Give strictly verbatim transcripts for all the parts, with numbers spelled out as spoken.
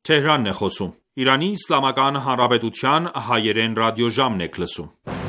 Թեհրանն է խոսում։ Իրանի Իսլամական Հանրապետության հայերեն ռադիոժամն եք լսում։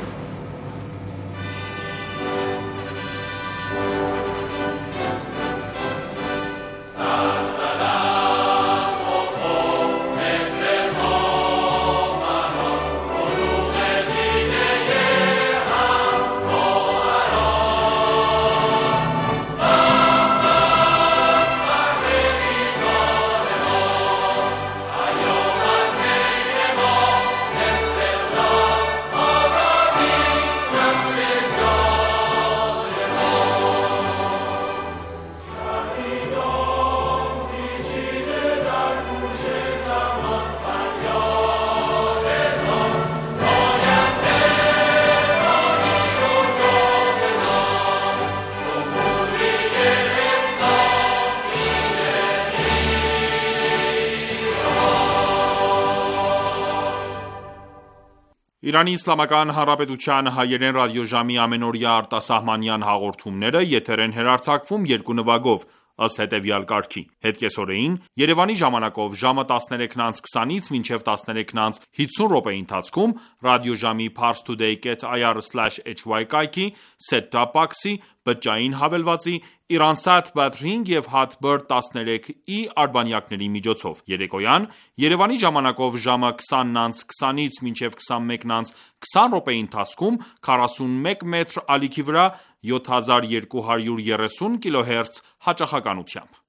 Իրանի Իսլամական Հանրապետության հայերեն ռադիոժամի ամենօրյա արտասահմանյան հաղորդումները եթեր են հեռարձակվում երկու նվագով, ըստ հետևյալ կարգի: Հետկեսօրեին Երևանի ժամանակով ժամը տասներեքն անց քսանից մինչև տասներեքն անց հիսուն րոպեի ընթացքում ռադիոժամի parstoday dot i r slash h y կայքի, set-top box-ի, բջջային հավելվածի, Iransat Batring և Hotbird տասներեք E արբանյակների միջոցով: Երեկոյան Երևանի ժամանակով ժամը քսանն անց քսանից մինչև քսանմեկն անց քսան րոպեի ընթացքում քառասունմեկ մետր ալիքի վրա յոթ հազար երկու հարյուր երեսուն կիլոհերց հաճախականությամբ։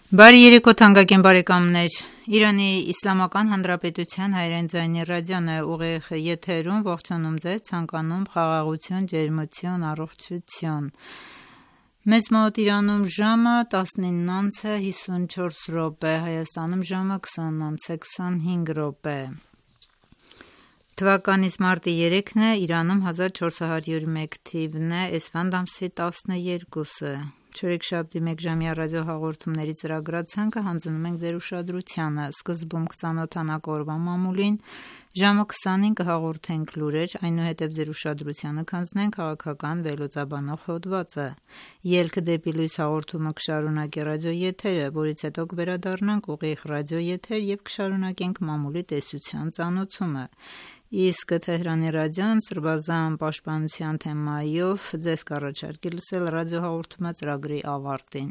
Բարի երեկո թանկագին բարեկամներ, Իրանի Իսլամական Հանրապետության հայերեն ձայնի ռադիոն է ուղիղ եթերում, ողջունում ձեզ, ցանկանում խաղաղություն, ջերմություն, առողջություն։ Մեզ մոտ Իրանում ժամը տասնինն անց է հիսունչորս րոպե, Հայաստանում ժամը քսանն անց է քսանհինգ րոպե։ Թվականից մարտի երեքն է, Իրանում հազար չորս հարյուր մեկ թիվն է, էսֆանդ ամսի տասներկուսը։ Չորեքշաբթի մեկժամյա ռադիոհաղորդումների ծրագրացանկը հանձնում ենք ձեր ուշադրությանը։ Սկզբում կծանոթանանք օրվա մամուլին, ժամը քսանին կհաղորդենք լուրեր, այնուհետև ձեր ուշադրությանը կհանձնենք քաղաքական վերլուծաբանող հոդվածը։ Ելք դեպի լույս հաղորդումը կշարունակի ռադիոեթերը, որից հետո կվերադառնանք ուղիղ ռադիոեթեր և կշարունակենք մամուլի տեսության ծանոթումը։ Իսկ Թեհրանի ռադիոն սրբազան պաշտպանության թեմայով ձեզ կառաջարկի լսել ռադիոհաղորդումը ծրագրի ավարտին։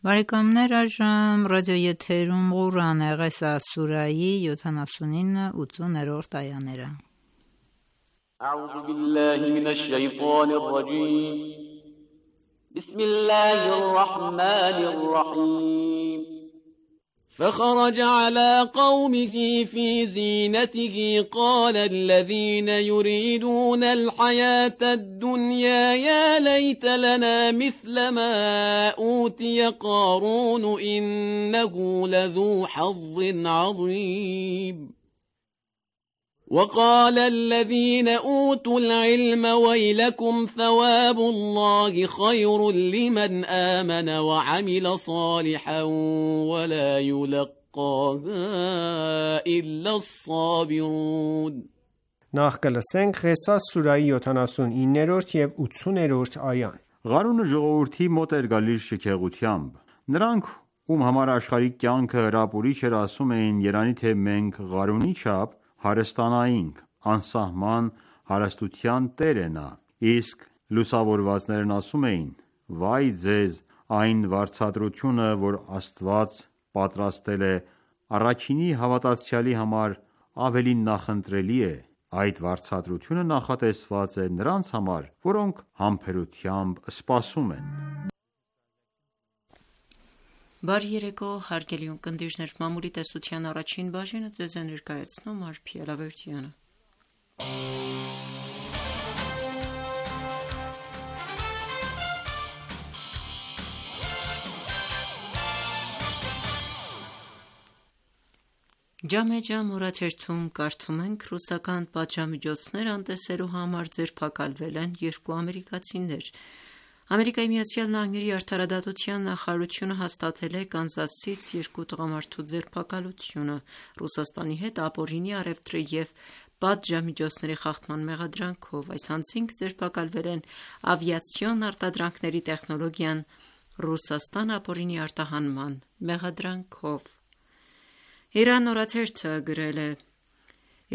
Բարեկամներ, այժմ ռադիոեթերում Ղուրան է, Ղեսաս սուրայի յոթանասունինը ութսուներորդ այաները։ أعوذ بالله من الشيطان الرجيم بسم الله الرحمن الرحيم فخرج على قومه في زينته قال الذين يريدون الحياة الدنيا يا ليت لنا مثل ما أوتي قارون إنه لذو حظ عظيم وقال الذين أوتوا العلم ويلكم ثواب الله خير لمن آمن وعمل صالحا ولا يلقاها إلا الصابرون Նախ կլսենք Ղեսաս սուրայի յոթանասունիններորդ և ութսուներորդ այան։ Ղարունը ժողովրդի մոտ էր գալիս շքեղությամբ։ Նրանք, ում համար աշխարհիկ կյանքը հրապուրիչ էր, ասում էին, երանի թե մենք Ղարունի չափ հարստանայինք, անսահման հարստության տեր է նա։ Իսկ լուսավորվածներն ասում էին. Վայ ձեզ այն վարձատրությունը, որ Աստված պատրաստել է առաքինի հավատացյալի համար, ավելի նախընտրելի է։ Այդ վարձատրությունը նախատեսված է նրանց համար, որոնք համբերությամբ սպասում են։ Բարի երեկո, հարգելի ունկնդիրներ, մամուլի տեսության առաջին բաժինը ձեզ է ներկայացնում Արփի Ալավերդյանը։ Ջամե ջամ օրաթերթում կարդում ենք ռուսական պատժամիջոցներ անտեսելու համար ձերբակալվել են երկու ամերիկացիներ։ Ամերիկայի Միացյալ Նահանգների արդարադատության նախարարությունը հաստատել է Կանզասից երկու տղամարդու ձերբակալությունը Ռուսաստանի հետ ապօրինի առևտրի և պատժամիջոցների խախտման մեղադրանքով։ Այս անձինք ձերբակալվել են ավիացիոն արտադրանքների տեխնոլոգիան Ռուսաստան ապօրինի արտահանման մեղադրանքով։ Իրան օրաթերթը գրել է.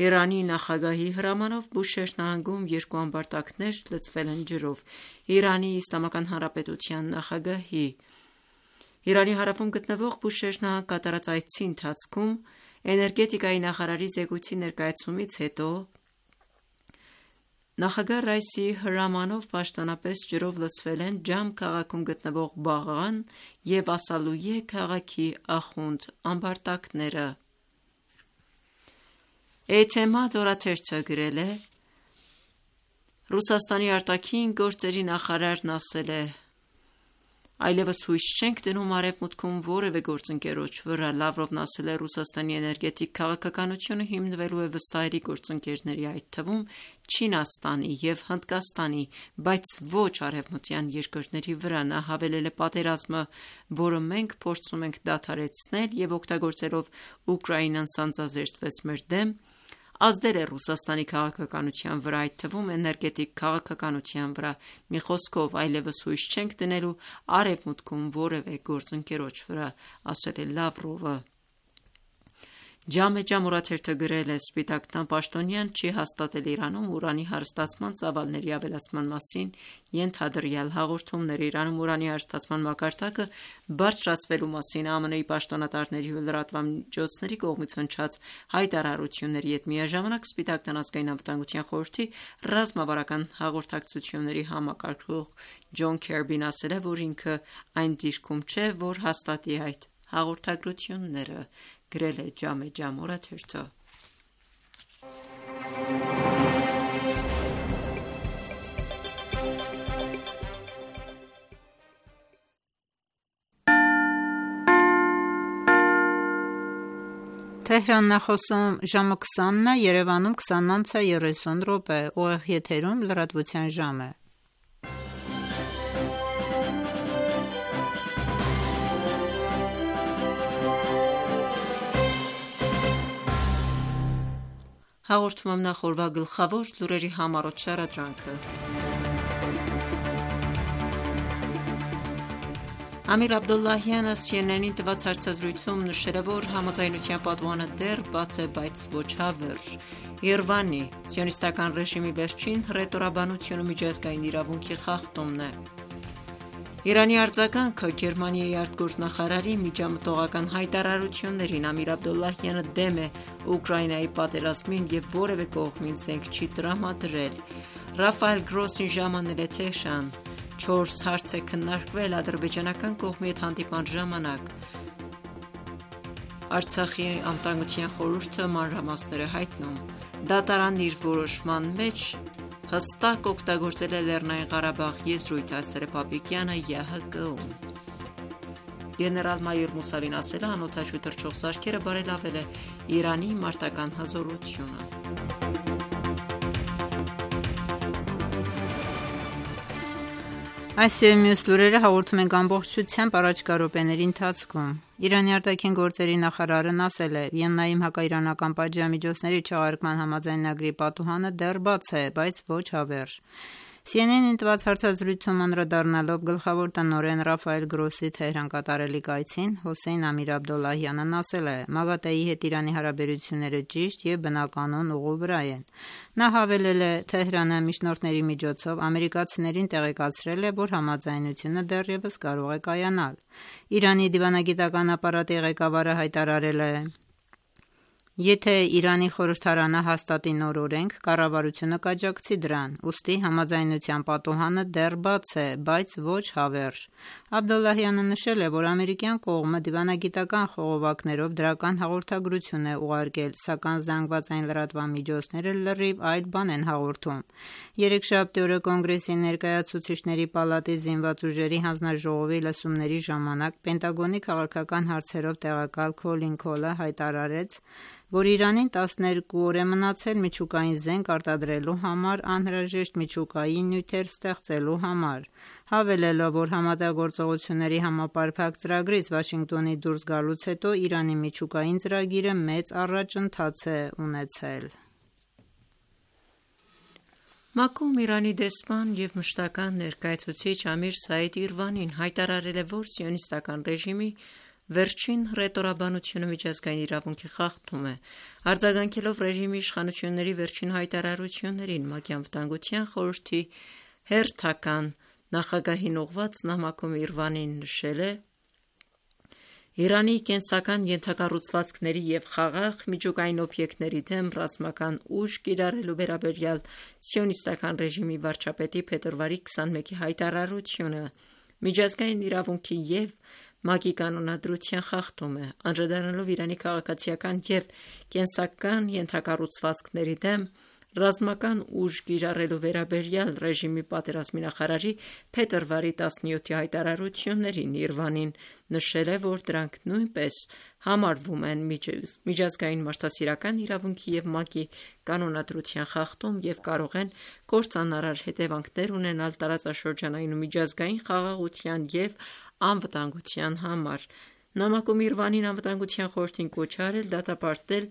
Իրանի նախագահի հրամանով Բուշեհր նահանգում երկու ամբարտակներ լցվել են ջրով։ Իրանի Իսլամական Հանրապետության նախագահի Իրանի հարավում գտնվող Բուշեհր նահանգ կատարած այցի ընթացքում էներգետիկայի նախարարի զեկույցի ներկայացումից հետո նախագահ Ռայիսի հրամանով պաշտոնապես ջրով լցվել են Ջամ քաղաքում գտնվող Բաղան և Ասալույե քաղաքի Ախունդ ամբարտակները։ Էթեմադ օրաթերթը գրել է. Ռուսաստանի արտաքին գործերի նախարարն ասել է. Այլևս հույս չենք դնում Արևմուտքում որևէ գործընկերոջ վրա։ Լավրովն ասել է Ռուսաստանի էներգետիկ քաղաքականությունը հիմնվելու է վստահելի գործընկերների, այդ թվում Չինաստանի և Հնդկաստանի, բայց ոչ արևմտյան երկրների վրա։ Նա հավելել է պատերազմը, որը մենք փորձում ենք դադարեցնել և օգտագործելով Ուկրաինան սանձազերծվեց մեր դեմ, ազդել է Ռուսաստանի քաղաքականության վրա, այդ թվում էներգետիկ քաղաքականության վրա։ Մի խոսքով, այլևս հույս չենք դնելու Արևմուտքում որևէ գործընկերոջ վրա, ասել է Լավրովը։ Ջամե ջամ օրաթերթը գրել է. Սպիտակ տան պաշտոնյան չի հաստատել Իրանում ուրանի հարստացման ծավալների ավելացման մասին ենթադրյալ հաղորդումներ։ Իրանում ուրանի հարստացման մակարդակը բարձրացվելու մասին ԱՄՆ-ի պաշտոնատարների ու լրատվամիջոցների կողմից հնչած հայտարարությունների հետ միաժամանակ Սպիտակ տան ազգային անվտանգության խորհրդի ռազմավարական հաղորդակցությունների համակարգող Ջոն Քերբին ասել է, որ ինքը այն դիրքում չէ, որ հաստատի այդ հաղորդագրությունները, գրել է Ջամե ջամ օրաթերթը։ Թեհրանն է խոսում ժամը քսանն է, Երևանում քսանն անց է երեսուն րոպե, ուղիղ եթերում լրատվության ժամ է։ Հաղորդում եմ նախ օրվա գլխավոր լուրերի համառոտ շարադրանքը։ Ամիր Աբդոլլահյանը C N N-ին տված հարցազրույցում նշել է, որ համաձայնության պատուհանը դեռ բաց է, բայց ոչ հավերժ։ Երևանի սիոնիստական ռեժիմի վերջին հռետորաբանությունը միջազգային իրավունքի խախտումն է։ Իրանի արձագանքը Գերմանիայի արտգործնախարարի միջամտողական հայտարարություններին։ Ամիր Աբդոլլահյանը դեմ է Ուկրաինայի պատերազմին և որևէ կողմին զենք չի տրամադրել։ Ռաֆայել Գրոսին ժամանել է Թեհրան։ Չորս հարց է քննարկվել ադրբեջանական կողմի հետ հանդիպման ժամանակ։ Արցախի անվտանգության խորհուրդը մանրամասներ է հայտնում։ Դատարանն իր որոշման մեջ հստակ օգտագործել է Լեռնային Ղարաբաղ եզրույթը, ասել է Պապիկյանը Յ Հ Կ-ում։ Գեներալ-մայոր Մուսավին ասել է, անօդաչու թռչող սարքերը բարելավել է Իրանի մարտական հզորությունը։ Այս և մյուս լուրերը հաղորդում ենք ամբողջությամբ առաջիկա րոպեների ընթացքում։ Իրանի արտաքին գործերի նախարարն ասել է. Վիեննայում հակաիրանական պատժամիջոցների չեղարկման համաձայնագրի պատուհանը դեռ բաց է, բայց ոչ հավերժ։ C N N-ին տված հարցազրույցում անդրադառնալով գլխավոր տնօրեն Ռաֆայել Գրոսի Թեհրան կատարելիք այցին, Հոսեյն Ամիր Աբդոլլահյանն ասել է. Մագատեի հետ Իրանի հարաբերությունները ճիշտ և բնականոն ուղու վրա են։ Նա հավելել է. Թեհրանը միջնորդների միջոցով ամերիկացիներին տեղեկացրել է, որ համաձայնությունը դեռևս կարող է կայանալ։ Իրանի դիվանագիտական ապարատի ղեկավարը հայտարարել է. Եթե Իրանի խորհրդարանը հաստատի նոր օրենք, կառավարությունը կաջակցի դրան, ուստի համաձայնության պատուհանը դեռ բաց է, բայց ոչ հավերժ։ Աբդոլլահյանը նշել է, որ ամերիկյան կողմը դիվանագիտական խողովակներով դրական հաղորդագրություն է ուղարկել, սակայն զանգվածային լրատվամիջոցները լրիվ այլ բան են հաղորդում։ Երեքշաբթի օրը Կոնգրեսի ներկայացուցիչների պալատի զինված ուժերի հանձնաժողովի լսումների ժամանակ Պենտագոնի քաղաքական հարցերով տեղակալ Քոլին Քոլը հայտարարեց, որ Իրանին տասներկու օր է մնացել միջուկային զենք արտադրելու համար անհրաժեշտ միջուկային նյութեր ստեղծելու համար, հավելելով, որ համատեղգործողությունների համապարփակ ծրագրից Վաշինգտոնի դուրս գալուց հետո Իրանի միջուկային ծրագիրը մեծ առաջընթաց է ունեցել։ ՄԱԿ-ում Իրանի դեսպան և մշտական ներկայացուցիչ Ամիր Սաիդ Իրվանին հայտարարել է, որ սիոնիստական ռեժիմի վերջին հռետորաբանությունը միջազգային իրավունքի խախտում է։ Արձագանքելով ռեժիմի իշխանությունների վերջին հայտարարություններին, ՄԱԿ-ի Անվտանգության խորհրդի հերթական նախագահին ուղղված նամակում Իրվանին նշել է. «Իրանի կենսական ենթակառուցվածքների և խաղաղ միջուկային օբյեկտների դեմ ռազմական ուժ կիրառելու վերաբերյալ սիոնիստական ռեժիմի վարչապետի փետրվարի քսանմեկի հայտարարությունը միջազգային իրավունքի և ՄԱԿ-ի կանոնադրության խախտում է, անդրադառնալով Իրանի քաղաքացիական և կենսական ենթակառուցվածքների դեմ ռազմական ուժ կիրառելու վերաբերյալ ռեժիմի պատերազմի նախարարի փետրվարի տասնյոթի հայտարարություններին»։ Իրվանին նշել է, որ դրանք նույնպես համարվում են միջազգային մարդասիրական իրավունքի և ՄԱԿ-ի կանոնադրության խախտում և կարող են կործանարար հետևանքներ ունենալ տարածաշրջանային ու միջազգային խաղաղության և անվտանգության համար։ Նամակում Իրվանին Անվտանգության խորհրդին կոչ է արել դատապարտել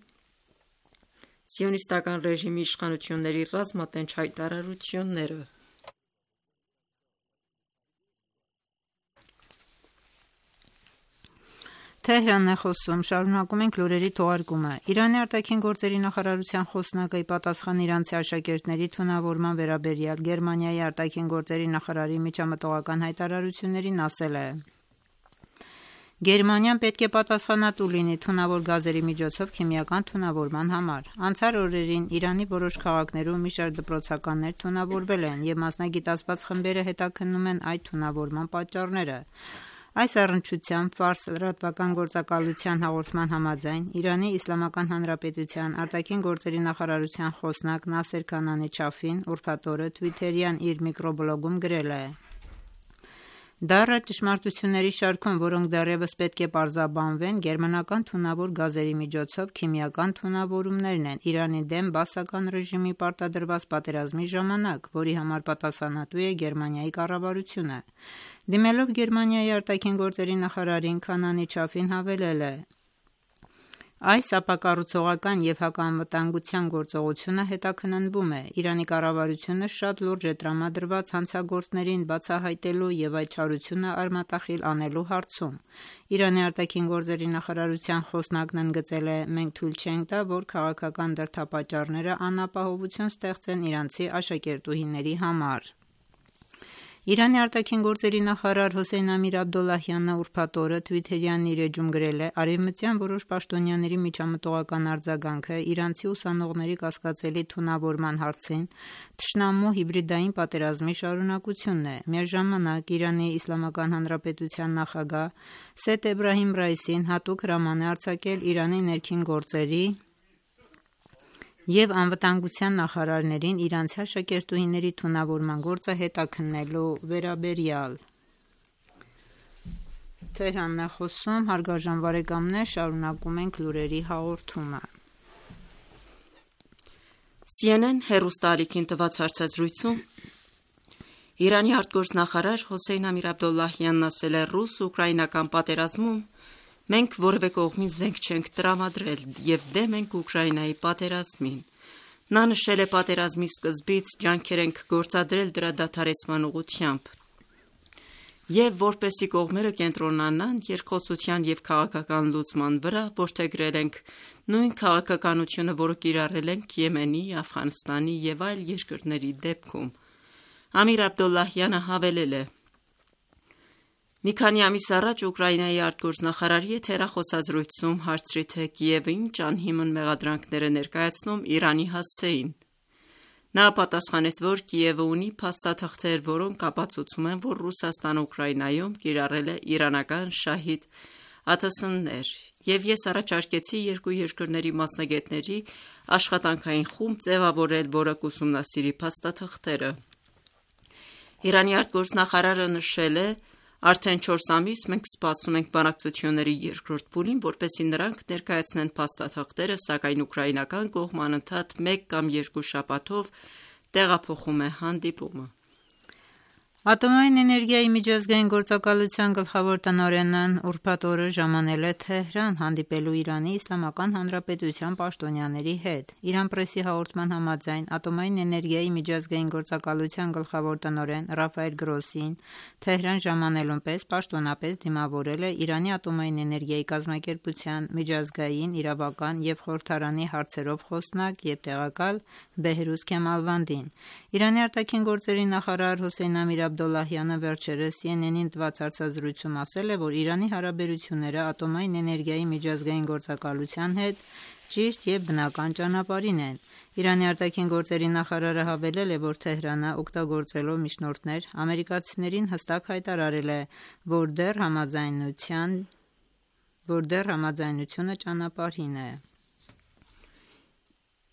սիոնիստական ռեժիմի իշխանությունների ռազմատենչ հայտարարությունները։ Իրանի արտաքին գործերի նախարարության խոսնակը ի պատասխան իրանցի աշակերտների թունավորման վերաբերյալ Գերմանիայի արտաքին գործերի նախարարի միջամտողական հայտարարություններին ասել է. «Գերմանիան պետք է պատասխանատու լինի թունավոր գազերի միջոցով քիմիական թունավորման համար։ Անցյալ օրերին Իրանի որոշ քաղաքներում մի շարք դպրոցականներ թունավորվել են, և մասնագիտացված խմբերը հետաքննում են այդ թունավորման պատճառները»։ Այս առնչությամբ «Ֆարս» լրատվական գործակալության հաղորդման համաձայն, Իրանի Իսլամական Հանրապետության արտաքին գործերի նախարարության խոսնակ Նասեր Քանանի Չաֆին ուրբաթ օրը թվիթերյան իր միկրոբլոգում գրել է. «Դառը ճշմարտությունների շարքում, որոնք դեռևս պետք է պարզաբանվեն, գերմանական թունավոր գազերի միջոցով քիմիական թունավորումներն են Իրանի դեմ բաասական ռեժիմի պարտադրված պատերազմի ժամանակ, որի համար պատասխանատու է Գերմանիայի կառավարությունը»։ Դիմելով Գերմանիայի արտաքին գործերի նախարարին, Քանանի Չաֆին հավելել է. «Այս ապակառուցողական և հակաանվտանգության գործողությունը հետաքննվում է։ Իրանի կառավարությունը շատ լուրջ է տրամադրված հանցագործներին բացահայտելու և այդ չարությունը արմատախիլ անելու հարցում»։ Իրանի արտաքին գործերի նախարարության խոսնակն ընդգծել է. «Մենք թույլ չենք տա, որ քաղաքական դրդապատճառները անապահովություն ստեղծեն իրանցի աշակերտուհիների համար»։ Իրանի արտաքին գործերի նախարար Հոսեյն Ամիր Աբդոլլահյանը ուրբաթ օրը թվիթերյան իր էջում գրել է. «Արևմտյան որոշ պաշտոնյաների միջամտողական արձագանքը իրանցի ուսանողների կասկածելի թունավորման հարցին թշնամու հիբրիդային պատերազմի շարունակությունն է»։ Միաժամանակ Իրանի Իսլամական Հանրապետության նախագահ Սեյեդ Էբրահիմ Ռայիսին հատուկ հրաման է արձակել Իրանի ներքին գործերի և անվտանգության նախարարներին իրանցի աշակերտուհիների թունավորման գործը հետաքննելու վերաբերյալ։ Սի Են Են հեռուստաալիքին տված հարցազրույցում Իրանի արտգործնախարար Հոսեյն Ամիր Աբդոլլահյանն ասել է. «Ռուս-ուկրաինական պատերազմում մենք որևէ կողմին զենք չենք տրամադրել և դեմ ենք Ուկրաինայի պատերազմին»։ Նա նշել է. «Պատերազմի սկզբից ջանքեր ենք գործադրել դրա դադարեցման ուղղությամբ և որպեսզի կողմերը կենտրոնանան երկխոսության և քաղաքական լուծման վրա, որդեգրել ենք նույն քաղաքականությունը, որը կիրառել ենք Եմենի, Աֆղանստանի և այլ երկրների դեպքում»։ Ամիր Աբդոլլահյանը հավելել է. «Մի քանի ամիս առաջ Ուկրաինայի արտգործնախարարի հետ հեռախոսազրույցում հարցրի, թե Կիևը ինչ անհիմն մեղադրանքներ է ներկայացնում Իրանի հասցեին։ Նա պատասխանեց, որ Կիևը ունի փաստաթղթեր, որոնք ապացուցում են, որ Ռուսաստանը Ուկրաինայում կիրառել է իրանական շահիդ ԱԹՍ-ներ, և ես առաջարկեցի երկու երկրների մասնագետների աշխատանքային խումբ ձևավորել, որը կուսումնասիրի փաստաթղթերը»։ Իրանի արտգործնախարարը նշել է. «Արդեն չորս ամիս մենք սպասում ենք բանակցությունների երկրորդ փուլին, որպեսզի նրանք ներկայացնեն փաստաթղթերը, սակայն ուկրաինական կողմը անընդհատ մեկ կամ երկու շաբաթով տեղափոխում է հանդիպումը»։ Ատոմային էներգիայի միջազգային գործակալության գլխավոր տնօրենն ուրբաթ օրը ժամանել է Թեհրան հանդիպելու Իրանի Իսլամական Հանրապետության պաշտոնյաների հետ։ Իրան պրեսի հաղորդման համաձայն Ատոմային էներգիայի միջազգային գործակալության գլխավոր տնօրեն Ռաֆայել Գրոսին Թեհրան ժամանելուն պես պաշտոնապես դիմավորել է Իրանի ատոմային էներգիայի կազմակերպության միջազգային, իրավական և խորհրդարանի հարցերով խոսնակ և տեղակալ Բեհրուզ Քեմալվանդին։ Իրանի արտաքին գործերի նախարար Հոսեյն Ամիր Աբդոլլահյանը վերջերս C N N-ին տված հարցազրույցում ասել է, որ Իրանի հարաբերությունները ատոմային էներգիայի միջազգային գործակալության հետ ճիշտ և բնական ճանապարհին են։ Իրանի արտաքին գործերի նախարարը հավելել է, որ Թեհրանը օգտագործելով միջնորդներ ամերիկացիներին հստակ հայտարարել է, որ դեռ համաձայնության, որ դեռ համաձայնությունը ճանապարհին է։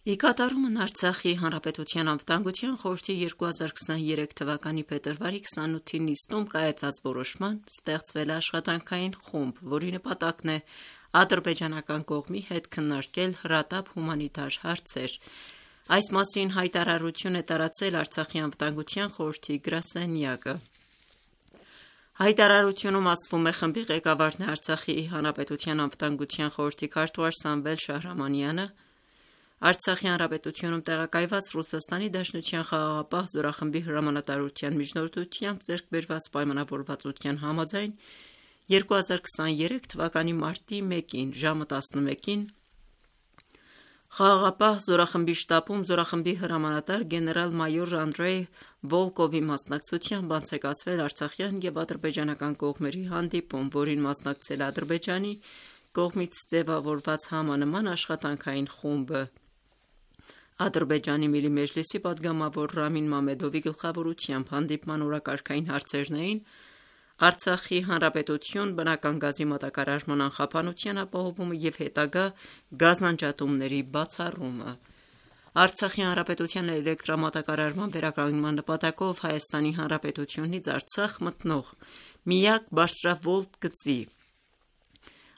Ի կատարումն Արցախի Հանրապետության անվտանգության խորհրդի երկու հազար քսաներեք թվականի փետրվարի քսանութի նիստում կայացած որոշման ստեղծվել է աշխատանքային խումբ, որի նպատակն է ադրբեջանական կողմի հետ քննարկել հրատապ հումանիտար հարցեր։ Այս մասին հայտարարություն է տարածել Արցախի անվտանգության խորհրդի գրասենյակը։ Հայտարարությունում ասվում է, խմբի ղեկավարն է Արցախի Հանրապետության անվտանգության խորհրդի քարտուղար Սամվել Շահրամանյանը, Արցախի Հանրապետությունում տեղակայված Ռուսաստանի Դաշնության խաղաղապահ զորախմբի հրամանատարության միջնորդությամբ ձեռք բերված պայմանավորվածության համաձայն երկու հազար քսաներեք թվականի մարտի մեկին ժամը տասնմեկին խաղաղապահ զորախմբի շտաբում զորախմբի հրամանատար գեներալ-մայոր Անդրեյ Վոլկովի մասնակցությամբ անցեկացվել արցախյան և ադրբեջանական կողմերի հանդիպում, որին մասնակցել է Ադրբեջանի կողմից ձևավորված համանման աշխատանքային խումբը։ Ադրբեջանի Միլի Մեջլիսի պատգամավոր Ռամին Մամեդովի գլխավորությամբ հանդիպման օրակարգային հարցերն էին Արցախի Հանրապետություն, բնական գազի մատակարարման անխափանության ապահովումը և հետագա գազանջատումների բացառումը։ Արցախի Հանրապետության էլեկտրամատակարարման վերականգնման նպատակով Հայաստանի Հանրապետությունից Արցախ մտնող միակ բարձրավոլտ գծի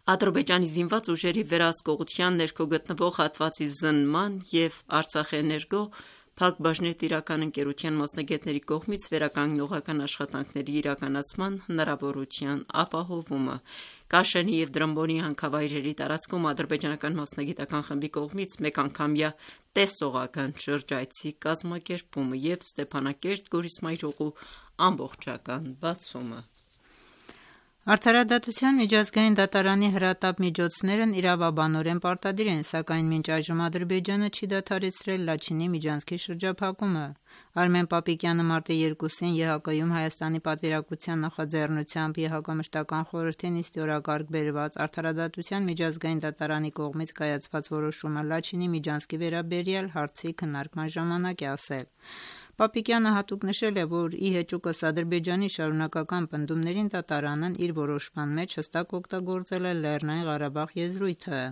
Ադրբեջանի զինված ուժերի վերահսկողության ներքո գտնվող հատվածի զննման և Արցախէներգո փակbaşնետիրական ընկերության մասնագետների կողմից վերականգնողական աշխատանքների իրականացման հնարավորության ապահովումը։ Կաշենի և Դրամբոնի հանքավայրերի տարածքում ադրբեջանական մասնագիտական խմբի կողմից մեկանգամյա տեսողական շրջայցի կազմակերպումը և Ստեփանակերտ-Գորիսմայրուղու ամբողջական բացումը։ Արդարադատության միջազգային դատարանի հրատապ միջոցներն իրավաբանորեն պարտադիր են, սակայն մինչ այժմ Ադրբեջանը չի դադարեցրել Լաչինի միջանցքի շրջափակումը։ Արմեն Պապիկյանը մարտի երկուսին Է Հ Կ-ում Հայաստանի պատվիրակության նախաձեռնությամբ Է Հ Կ մշտական խորհրդի նիստի օրակարգ բերված Արդարադատության միջազգային դատարանի կողմից կայացված որոշումը Լաչինի միջանցքի վերաբերյալ հարցի քննարկման ժամանակ է ասել։ Պապիկյանը հատուկ նշել է, որ ի հեճուկս Ադրբեջանի շարունակական պնդումներին դատարանն իր որոշման մեջ հստակ օգտագործել է Լեռնային Ղարաբաղ եզրույթը։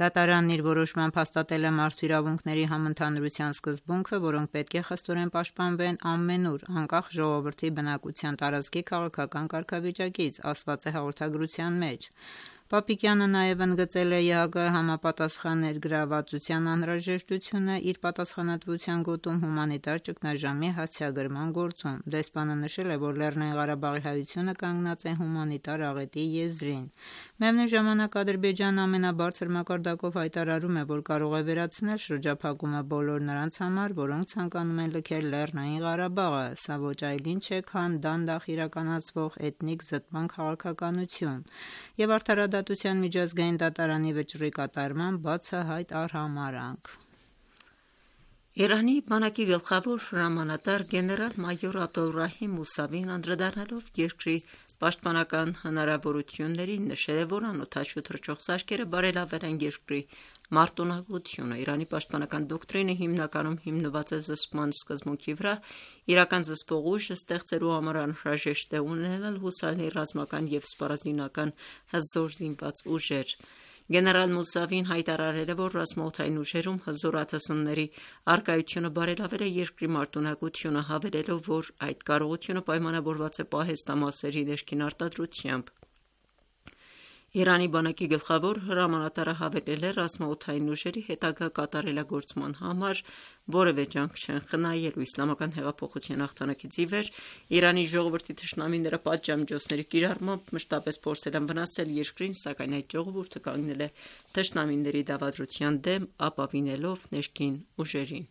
Դատարանն իր որոշմամբ հաստատել է մարդու իրավունքների համընդհանուրության սկզբունքը, որոնք պետք է խստորեն պաշտպանվեն ամենուր, անկախ ժողովրդի բնակության տարածքի քաղաքական կարգավիճակից, ասված է հաղորդագրության մեջ։ Պապիկյանը նաև ընդգծել է Է Հ Կ համապատասխան ներգրավվածության անհրաժեշտությունը իր պատասխանատվության գոտում հումանիտար ճգնաժամի հասցեագրման գործում։ Դեսպանը նշել է, որ Լեռնային Ղարաբաղի հայությունը կանգնած է հումանիտար աղետի եզրին։ Միևնույն ժամանակ Ադրբեջանը ամենաբարձր մակարդակով հայտարարում է, որ կարող է վերացնել շրջափակումը բոլոր նրանց համար, որոնք ցանկանում են լքել Լեռնային Ղարաբաղը։ Սա ոչ այլ ինչ է, քան դանդաղ իրականացվող էթնիկ զտման քաղաքականություն և արդարադատության միջազգային դատարանի վճռի կատարման բացահայտ արհամարհանք։ Իրանի բանակի գլխավոր հրամանատար գեներալ-մայոր Աբդոլռահիմ Մուսավին անդրադառնալով երկրի պաշտպանական հնարավորություններին նշել է, որ անօդաչու թռչող սարքերը բարելավել են երկրի մարտունակությունը։ Իրանի պաշտպանական դոկտրինը հիմնականում հիմնված է զսպման սկզբունքի վրա, իրական զսպող ուժը ստեղծելու համար անհրաժեշտ է ունենալ հուսալի ռազմական և սպառազինական հզոր զինված ուժեր։ Գեներալ Մուսավին հայտարարել է, որ ռազմաօդային ուժերում հզոր ԱԹՍ-ների առկայությունը բարելավել է երկրի մարտունակությունը, հավելելով, որ այդ կարողությունը պայմանավորված է պահեստամասերի ներքին արտադրությամբ։ Իրանի բանակի գլխավոր հրամանատարը հավելել է ռազմաօդային ուժերի հետագա կատարելագործման համար որևէ ջանք չեն խնայելու։ Իսլամական հեղափոխության հաղթանակից ի վեր Իրանի ժողովրդի թշնամիները պատժամիջոցների կիրառմամբ մշտապես փորձել են վնասել երկրին, սակայն այդ ժողովուրդը կանգնել է թշնամիների դավադրության դեմ, ապավինելով ներքին ուժերին։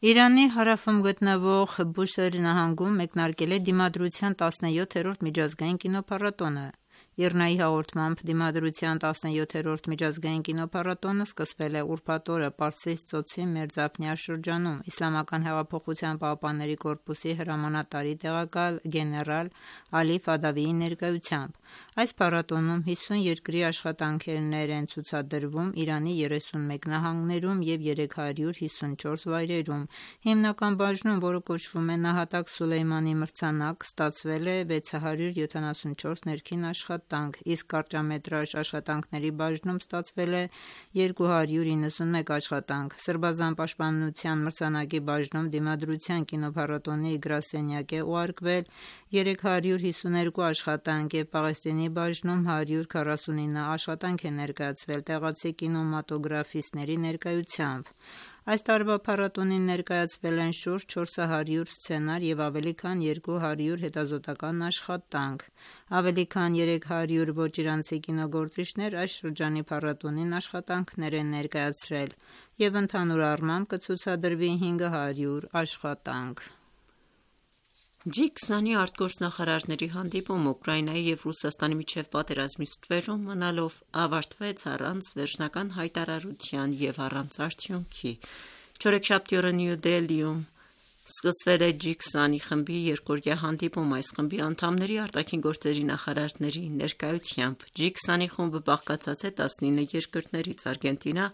Իրանի հարավում գտնվող Բուսեր նահանգում մեկնարկել է Դիմադրության տասնյոթերորդ միջազգային կինոփառատոնը։ ԻՌՆԱ-ի հաղորդմամբ Դիմադրության տասնյոթերորդ միջազգային կինոփառատոնը սկսվել է ուրբաթ օրը Պարսից ծոցի Մերձափնյա շրջանում Իսլամական հեղափոխության պահապանների կորպուսի հրամանատարի տեղակալ գեներալ Ալի Ֆադավիի ներկայությամբ։ Այս փառատոնում հիսուն երկրի աշխատանքներ են ցուցադրվում Իրանի երեսունմեկ նահանգներում և երեք հարյուր հիսունչորս վայրերում։ Հիմնական բաժնում, որը կոչվում է Նահատակ Սուլեյմանի մրցանակ, ստացվել է վեց հարյուր յոթանասունչորս ներքին աշխատանք, իսկ կարճամետրաժ աշխատանքների բաժնում ստացվել է երկու հարյուր իննսունմեկ աշխատանք։ Սրբազան պաշտպանության մրցանակի բաժնում Դիմադրության կինոփառատոնի գրասենյակ է ուղարկվել երեք հարյուր հիսուներկու աշխատանք և Պաղեստինի բաժնում հարյուր քառասունինը աշխատանք է ներկայացվել տեղացի կինեմատոգրաֆիստների ներկայությամբ։ Այս տարվա փառատոնին ներկայացվել են շուրջ չորս հարյուր սցենար և ավելի քան երկու հարյուր հետազոտական աշխատանք։ Ավելի քան երեք հարյուր ոչ իրանցի կինոգործիչներ այս շրջանի փառատոնին աշխատանքներ են ներկայացրել և ընդհանուր առմամբ կցուցադրվի հինգ հարյուր աշխատանք։ ջի քսանի արտգործնախարարների հանդիպումը Ուկրաինայի և Ռուսաստանի միջև պատերազմի ստվերում մնալով ավարտվեց առանց վերջնական հայտարարության և առանց արդյունքի։ Չորեքշաբթի օրը Նյու Դելիում սկսվել է ջի քսանի խմբի երկօրյա հանդիպում։ Այս խմբի անդամների արտաքին գործերի նախարարների ներկայությամբ ջի քսանի խումբը բաղկացած է տասնինը երկրներից՝ Արգենտինա,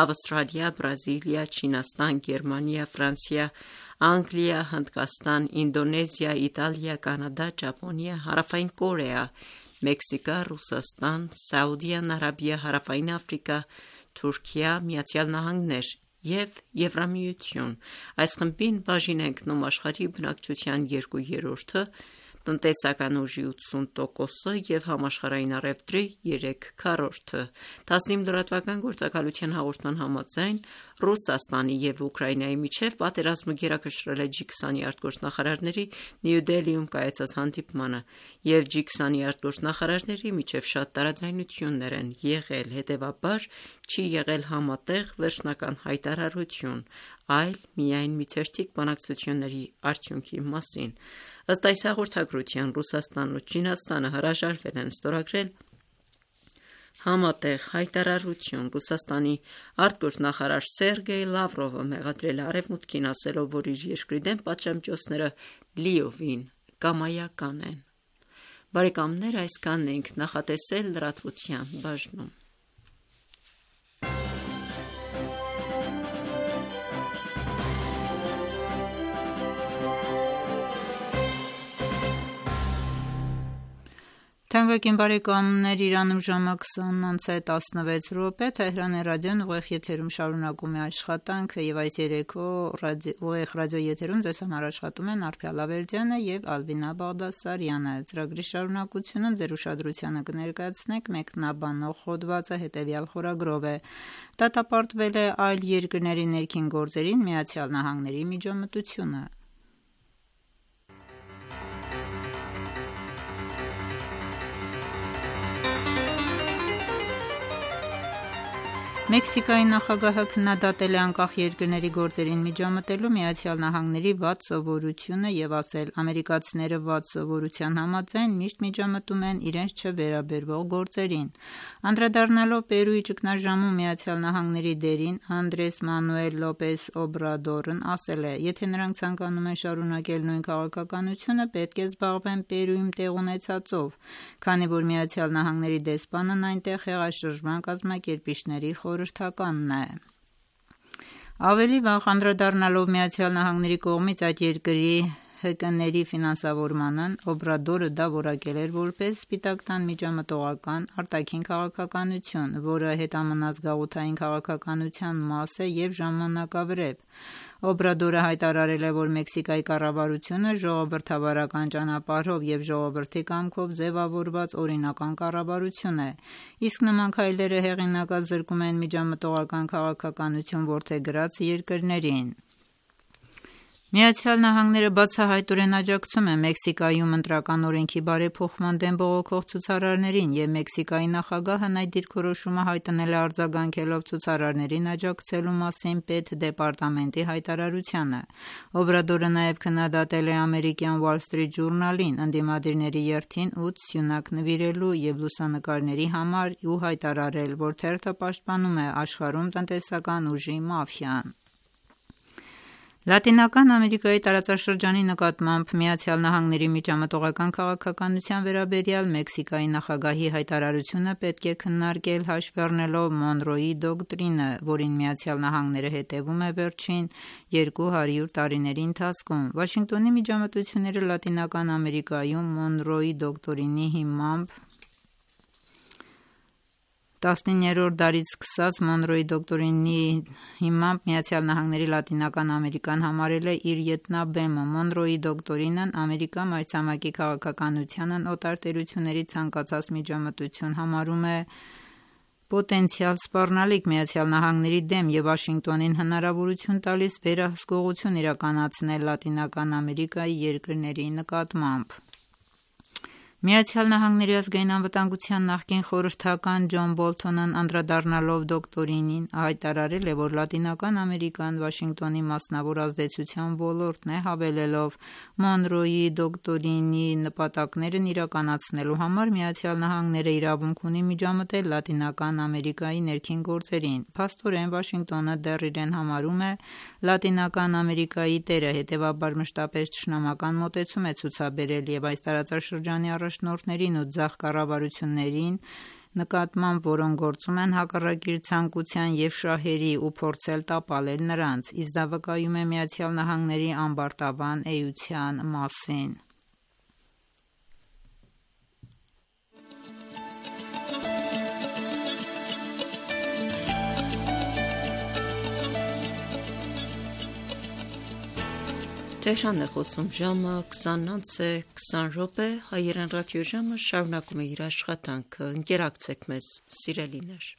Ավստրալիա, Բրազիլիա, Չինաստան, Գերմանիա, Ֆրանսիա, Անգլիա, Հնդկաստան, Ինդոնեզիա, Իտալիա, Կանադա, Ճապոնիա, Հարավային Կորեա, Մեքսիկա, Ռուսաստան, Սաուդյան Արաբիա, Հարավային Աֆրիկա, Թուրքիա, Միացյալ Նահանգներ և Եվրամիություն։ Այս խմբին բաժին է ընկնում աշխարհի բնակչության երկու երրորդը, տնտեսական ուժի ութսուն տոկոսը և համաշխարհային առևտրի երեք քառորդը։ տասնինը լրատվական գործակալության հաղորդման համաձայն Ռուսաստանի և Ուկրաինայի միջև պատերազմը գերակշռել է ջի քսանի արտգործնախարարների Նյու Դելիում կայացած հանդիպմանը, և ջի քսանի արտգործնախարարների միջև շատ տարաձայնություններ են եղել, հետևաբար չի եղել համատեղ վերջնական հայտարարություն, այլ միայն մի թերթիկ բանակցությունների արդյունքի մասին։ Ըստ այս հաղորդագրության Ռուսաստանն ու Չինաստանը հրաժարվել են ստորագրել համատեղ հայտարարություն։ Ռուսաստանի արտգործնախարար Սերգեյ Լավրովը մեղադրել է Արևմուտքին, ասելով, որ իր երկրի դեմ պատժամիջոցները լիովին կամայական են։ Բարեկամներ, այսքանն ենք նախատեսել լրատվության բաժնում։ Թանկագին բարեկամներ, Իրանում ժամը քսանն անց է տասնվեց րոպե, Թեհրանի ռադիոն ուղիղ եթերում շարունակում է աշխատանքը և այս երեկո ուղիղ ռադիոեթերում ձեզ համար աշխատում են Արփիա Լավերդյանը և Ալվինա Բաղդասարյանը։ Ծրագրի շարունակությունում ձեր ուշադրությանը կներկայացնենք մեկնաբանող հոդվածը հետևյալ խորագրով է. Դատապարտվել է այլ երկրների ներքին գործերին Միացյալ Նահանգների միջամտությունը։ Մեքսիկայի նախագահը քննադատել է անկախ երկրների գործերին միջամտելու Միացյալ Նահանգների վատ սովորությունը և ասել. ամերիկացիները վատ սովորության համաձայն միշտ միջամտում են իրենց չվերաբերվող գործերին։ Անդրադառնալով Պերուի ճգնաժամում Միացյալ Նահանգների դերին, Անդրես Մանուել Լոպես Օբրադորն ասել է. եթե նրանք ցանկանում են շարունակել նույն քաղաքականությունը, պետք է զբաղվեն Պերուում տեղ ունեցածով, քանի որ Միացյալ Նահանգների դեսպանն այնտեղ հեղաշրջման կազմակերպիչների խորհրդականն է։ Ավելի վաղ անդրադառնալով Միացյալ Նահանգների կողմից այդ երկրի ՀԿ-ների ֆինանսավորմանն, Օբրադորը դա որակել էր որպես Սպիտակ տան միջամտողական արտաքին քաղաքականություն, որը հետամնաց գաղութային քաղաքականության մաս է և ժամանակավրեպ։ Օբրադորը հայտարարել է, որ Մեքսիկայի կառավարությունը ժողովրդավարական ճանապարհով եւ ժողովրդի կամքով ձևավորված օրինական կառավարություն է, իսկ նման քայլերը հեղինակած զրկում են միջամտողական քաղաքականություն որդեգրած երկրներին։ Միացյալ Նահանգները բացահայտորեն աջակցում է Մեքսիկայում ընտրական օրենքի բարեփոխման դեմ բողոքող ցուցարարներին, եւ Մեքսիկայի նախագահն այդ դիրքորոշումը հայտնել է արձագանքելով ցուցարարներին աջակցելու մասին պետդեպարտամենտի հայտարարությանը։ Օբրադորը նաեւ քննադատել է ամերիկյան Wall Street Journal-ին ընդդիմադիրների երթին ութ սյունակ նվիրելու եւ լուսանկարների համար ու հայտարարել, որ թերթը պաշտպանում է աշխարհում տնտեսական ուժի մաֆիան։ Լատինական Ամերիկայի տարածաշրջանի նկատմամբ Միացյալ Նահանգների միջամտողական քաղաքականության վերաբերյալ Մեքսիկայի նախագահի հայտարարությունը պետք է քննարկել հաշվի առնելով Մոնրոյի դոկտրինը, որին Միացյալ Նահանգները հետևում է վերջին երկու հարյուր տարիների ընթացքում։ Վաշինգտոնի միջամտությունները Լատինական Ամերիկայում Մոնրոյի դոկտրինի հիմամբ տասնիններորդ դարից սկսած Մոնրոյի դոկտրինի հիմամբ Միացյալ Նահանգների Լատինական Ամերիկան համարել է իր ետնաբեմը։ Մոնրոյի դոկտրինն Ամերիկա մայրցամաքի քաղաքականությանն օտար տերությունների ցանկացած միջամտություն համարում է պոտենցիալ սպառնալիք Միացյալ Նահանգների դեմ եւ Վաշինգտոնին հնարավորություն տալիս վերահսկողություն իրականացնել Լատինական Ամերիկայի երկրների նկատմամբ։ Միացյալ Նահանգների ազգային անվտանգության նախկին խորհրդական Ջոն Բոլթոնն անդրադառնալով դոկտրինին հայտարարել է, որ Լատինական Ամերիկան Վաշինգտոնի մասնավոր ազդեցության ոլորտն է, հավելելով Մոնրոյի դոկտրինի նպատակներն իրականացնելու համար Միացյալ Նահանգները իրավունք ունի միջամտել Լատինական Ամերիկայի ներքին գործերին։ Փաստորեն Վաշինգտոնը դեռ իրեն համարում է Լատինական Ամերիկայի տերը, հետևաբար մշտապես թշնամական մոտեցում է ցուցաբերել եւ այս տարածաշրջանի առաջնորդներին ու ձախ կառավարություններին նկատմամբ, որոնք գործում են հակառակ իր ցանկության եւ շահերի ու փորձել տապալել նրանց, իսկ դա վկայում է Միացյալ Նահանգների ամբարտավան էության մասին։ Tehran է խոսում ժամը քսանից քսան րոպե, հայերեն ռադիոժամը շարունակում է իր աշխատանքը։ Ընկերակցեք մեզ, սիրելիներ։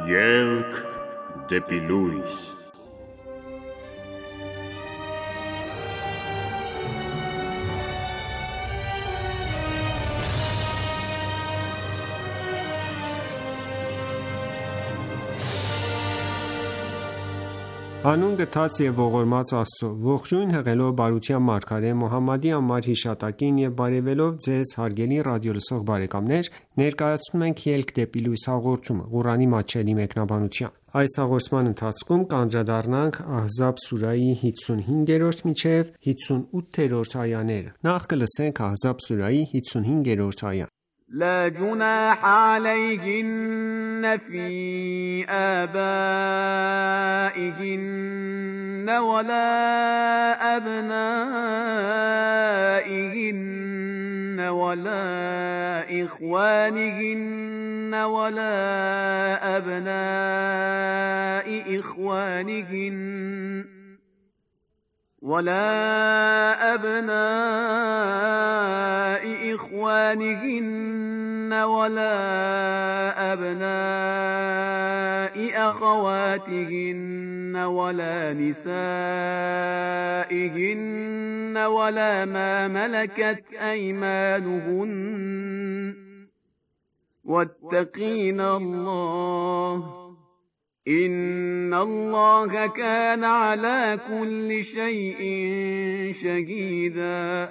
Ելք դեպի լույս։ Հանուն գթած եւ ողորմած Աստծո, ողջույն հղելով բարության մարգարե Մոհամմադի անմար հիշատակին եւ բարեւելով ձեզ հարգելի ռադիոլսող բարեկամներ, ներկայացնում ենք Ելք դեպի լույս հաղորդումը, Ղուրանի մատչելի մեկնաբանությամբ։ Այս հաղորդման ընթացքում կանդրադառնանք Ահզաբ սուրահի հիսունհինգերորդ մինչև հիսունութերորդ այաները։ Նախ կլսենք Ահզաբ սուրահի հիսունհինգերորդ այան։ لا جناح عليهن في آبائهن ولا أبنائهن ولا إخوانهن ولا أبناء إخوانهن ولا أبناء إخوانهن ولا أبناء أخواتهن ولا نسائهن ولا ما ملكت أيمانهن واتقين الله إن الله كان على كل شيء شهيدا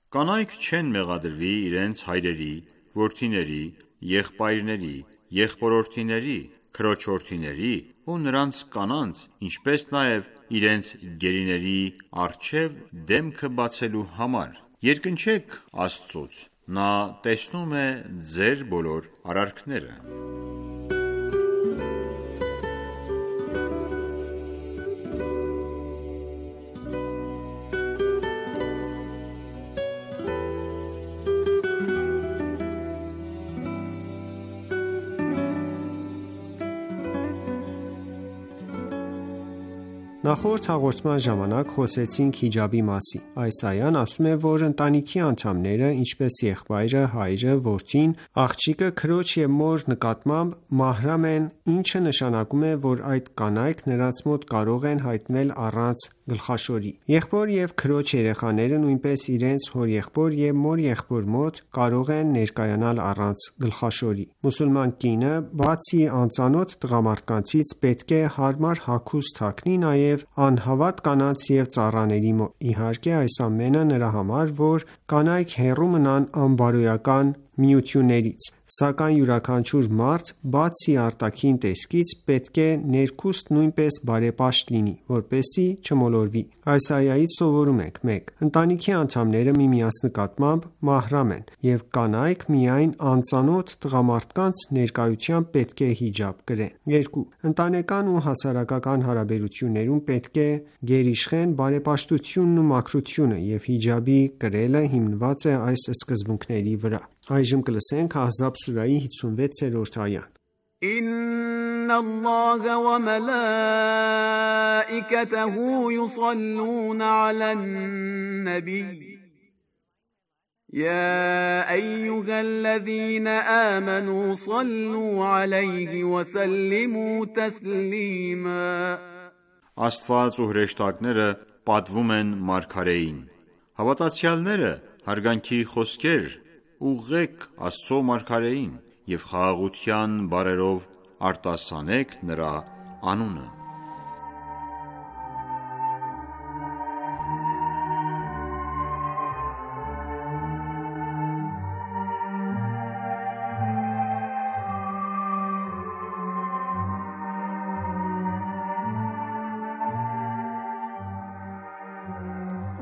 Կանայք չեն մեղադրվի իրենց հայրերի, որդիների, եղբայրների, եղբորորդիների, քրոջորդիների ու նրանց կանանց, ինչպես նաև իրենց գերիների առջև դեմքը բացելու համար: Երկնչեք Աստծուց, Նա տեսնում է ձեր բոլոր արարքները: Նախորդ հաղորդման ժամանակ խոսեցինք հիջաբի մասին: Այս այան ասում է, որ ընտանիքի անդամները, ինչպես եղբայրը, հայրը, որդին, աղջիկը, քրոջ և մոր նկատմամբ մահրամ են, ինչը նշանակում է, որ այդ կանայք նրանց մոտ կարող են հայտնվել առանց գլխաշորի: Եղբոր և քրոջ երեխաները նույնպես իրենց հորեղբոր և մորեղբոր մոտ կարող են ներկայանալ առանց գլխաշորի: Մուսուլման կինը, բացի անծանոթ տղամարդկանցից, պետք է հարմար հագուստ հագնի նաև անհավատ կանանց և ծառաների մոտ: Իհարկե այս ամենը նրա համար, որ կանայք հեռու մնան անբարոյական միություններից: Սակայն յուրաքանչյուր մարդ, բացի արտաքին տեսքից, պետք է ներքուստ նույնպես բարեպաշտ լինի, որպեսզի չմոլորվի: Այս այայից սովորում ենք. մեկ. Ընտանիքի անդամները միմյանց նկատմամբ մահրամ են, և կանայք միայն անծանոթ տղամարդկանց ներկայությամբ պետք է հիջաբ կրեն: երկու. Ընտանեկան ու հասարակական հարաբերություններում պետք է գերիշխեն բարեպաշտությունն ու մաքրությունը, և հիջաբի կրելը հիմնված է այս սկզբունքների վրա: Ahzab սուրահի հիսունվեցերորդ այա إن الله وملائكته يصلون على النبي يا أيها الذين آمنوا صلوا عليه وسلموا تسليما Աստված ու հրեշտակները պատվում են մարգարեին: Հավատացյալները հարգանքի խոսքեր ուղղեք Աստծո մարգարեին և խաղաղության բառերով արտասանեք նրա անունը: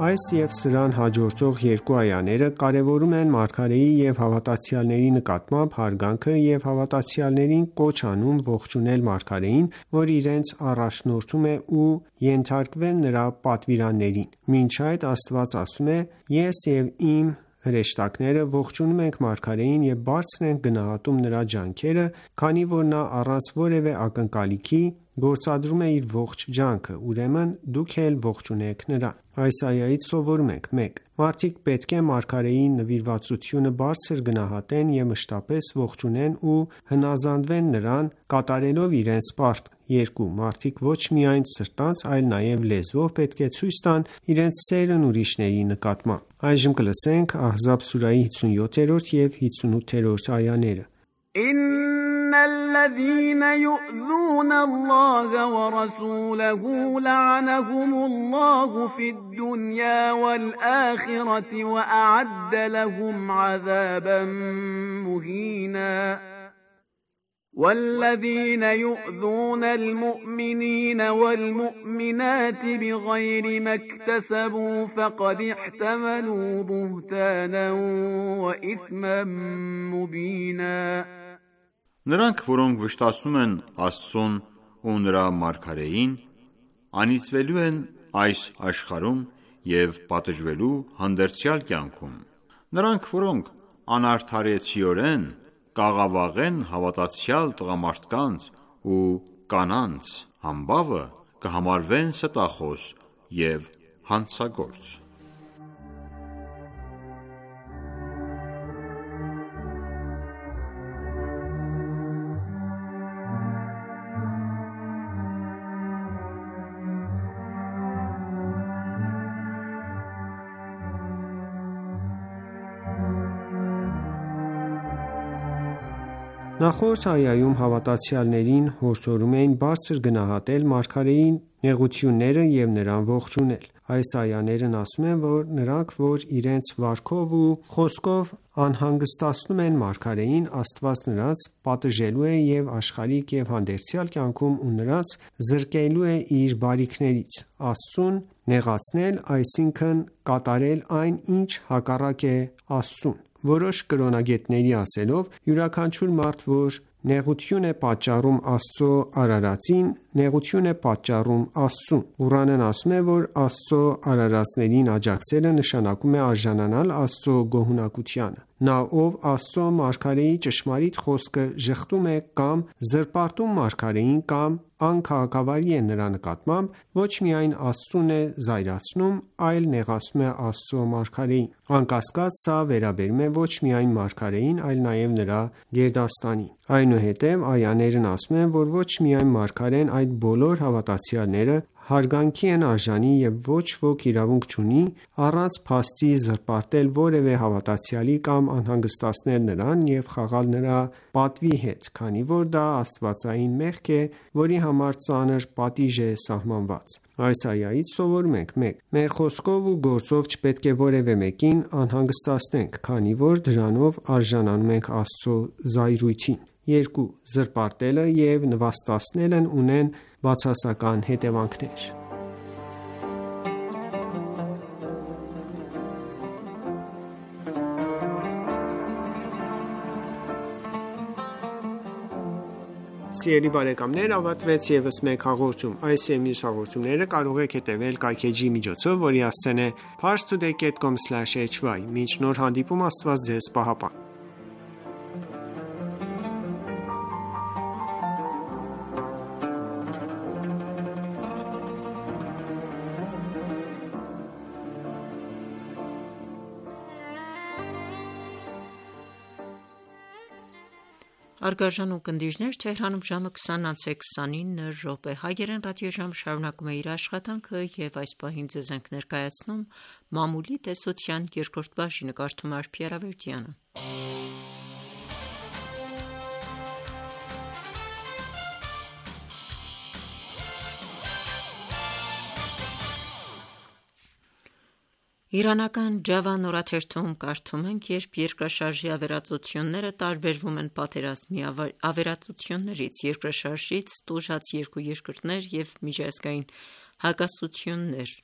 Այս և սրան հաջորդող երկու այաները կարևորում են մարգարեի և հավատացյալների նկատմամբ հարգանքը և հավատացյալներին կոչ անում ողջունել մարգարեին, որ իրենց առաջնորդում է ու ենթարկվել նրա պատվիրաններին: Մինչ այդ Աստված ասում է. «Ես և իմ հրեշտակները ողջունում ենք մարգարեին և բարձր ենք գնահատում նրա ջանքերը, քանի որ նա առանց որևէ ակնկալիքի գործադրում է իր ողջ ջանքը, ուրեմն դուք էլ ողջունեք նրան»: Այս այայից սովորում ենք. մեկ. Մարդիկ պետք է մարգարեի նվիրվածությունը բարձր գնահատեն և մշտապես ողջունեն ու հնազանդվեն նրան, կատարելով իրենց պարտքը: երկու. Մարդիկ ոչ միայն սրտանց, այլ նաև լեզվով պետք է ցույց տան իրենց սերն ուրիշների նկատմամբ: Ahzab սուրահի հիսունյոթերորդ և հիսունութերորդ այաներ إن الذين يؤذون الله ورسوله لعنهم الله في الدنيا والآخرة وأعد لهم عذابا مهينا والذين يؤذون المؤمنين والمؤمنات بغير ما اكتسبوا فقد احتملوا بهتانا وإثما مبينا Նրանք, որոնք վշտացնում են Աստծուն ու նրա մարգարեին, անիծվելու են այս աշխարհում և պատժվելու հանդերձյալ կյանքում: Նրանք, որոնք անարդարեցիորեն կաղավաղեն հավատացյալ տղամարդկանց ու կանանց համբավը, կհամարվեն ստախոս և հանցագործ: Նախորդ այայում հավատացյալներին հորդորում էին բարձր գնահատել մարգարեի նեղությունները և նրան ողջունել: Այս այաներն ասում են, որ նրանք, որ իրենց վարքով ու խոսքով անհանգստացնում են մարգարեին, Աստված նրանց պատժելու է և աշխարհիկ և հանդերձյալ կյանքում ու նրանց զրկելու է իր բարիքներից: Աստծուն նեղացնել, այսինքն կատարել այն, ինչ հակառակ է Աստծուն: Որոշ կրոնագետների ասելով, յուրաքանչյուր մարդ, որ նեղություն է պատճառում Աստծո արարածին, նեղություն է պատճառում Աստծուն: Ղուրանն ասում է, որ Աստծո արարածներին աջակցելը նշանակում է արժանանալ Աստծո գոհունակությանը: Նա, ով Աստծո մարգարեի ճշմարիտ խոսքը ժխտում է կամ զրպարտում մարգարեին կամ անքաղաքավարի է նրա նկատմամբ, ոչ միայն Աստծուն է զայրացնում, այլ նեղացնում է Աստծո մարգարեին: Անկասկած, սա վերաբերում է ոչ միայն մարգարեին, այլ նաև նրա գերդաստանին: Այնուհետև այաներն ասում են, որ ոչ միայն մարգարեն, այլ բոլոր հավատացյալները հարգանքի են արժանի և ոչ ոք իրավունք չունի առանց փաստի զրպարտել որևէ հավատացյալի կամ անհանգստացնել նրան և խաղալ նրա պատվի հետ, քանի որ դա աստվածային մեղք է, որի համար ծանր պատիժ է սահմանված: Այս այայից սովորում ենք. մեկ. Մեր խոսքով ու գործով չպետք է որևէ մեկին անհանգստացնենք, քանի որ դրանով արժանանում ենք Աստծո զայրույթին: երկու. Զրպարտելը և նվաստացնելն ունեն բացասական հետևանքներ: Ավարտվեց ևս մեկ հաղորդում: Այս և մյուս հաղորդումները կարող եք հետևել կայքէջի միջոցով, որի հասցեն է parstoday dot com slash hy: Մինչ նոր հանդիպում, Աստված Ձեզ պահապան: Հարգարժան ունկնդիրներ, Թեհրանում ժամը քսան անց է քսանինը րոպե: Հայերեն ռադիոժամը շարունակում է իր աշխատանքը և այս պահին ձեզ ենք ներկայացնում մամուլի տեսության երկրորդ բաժինը: Կարդում է Արփի Արավերդյանը: Իրանական Ջավան օրաթերթում կարդում ենք. «Երբ երկրաշարժի ավերածությունները տարբերվում են պատերազմի ավերածություններից, երկրաշարժից տուժած երկու երկրներ և միջազգային հակասություններ»: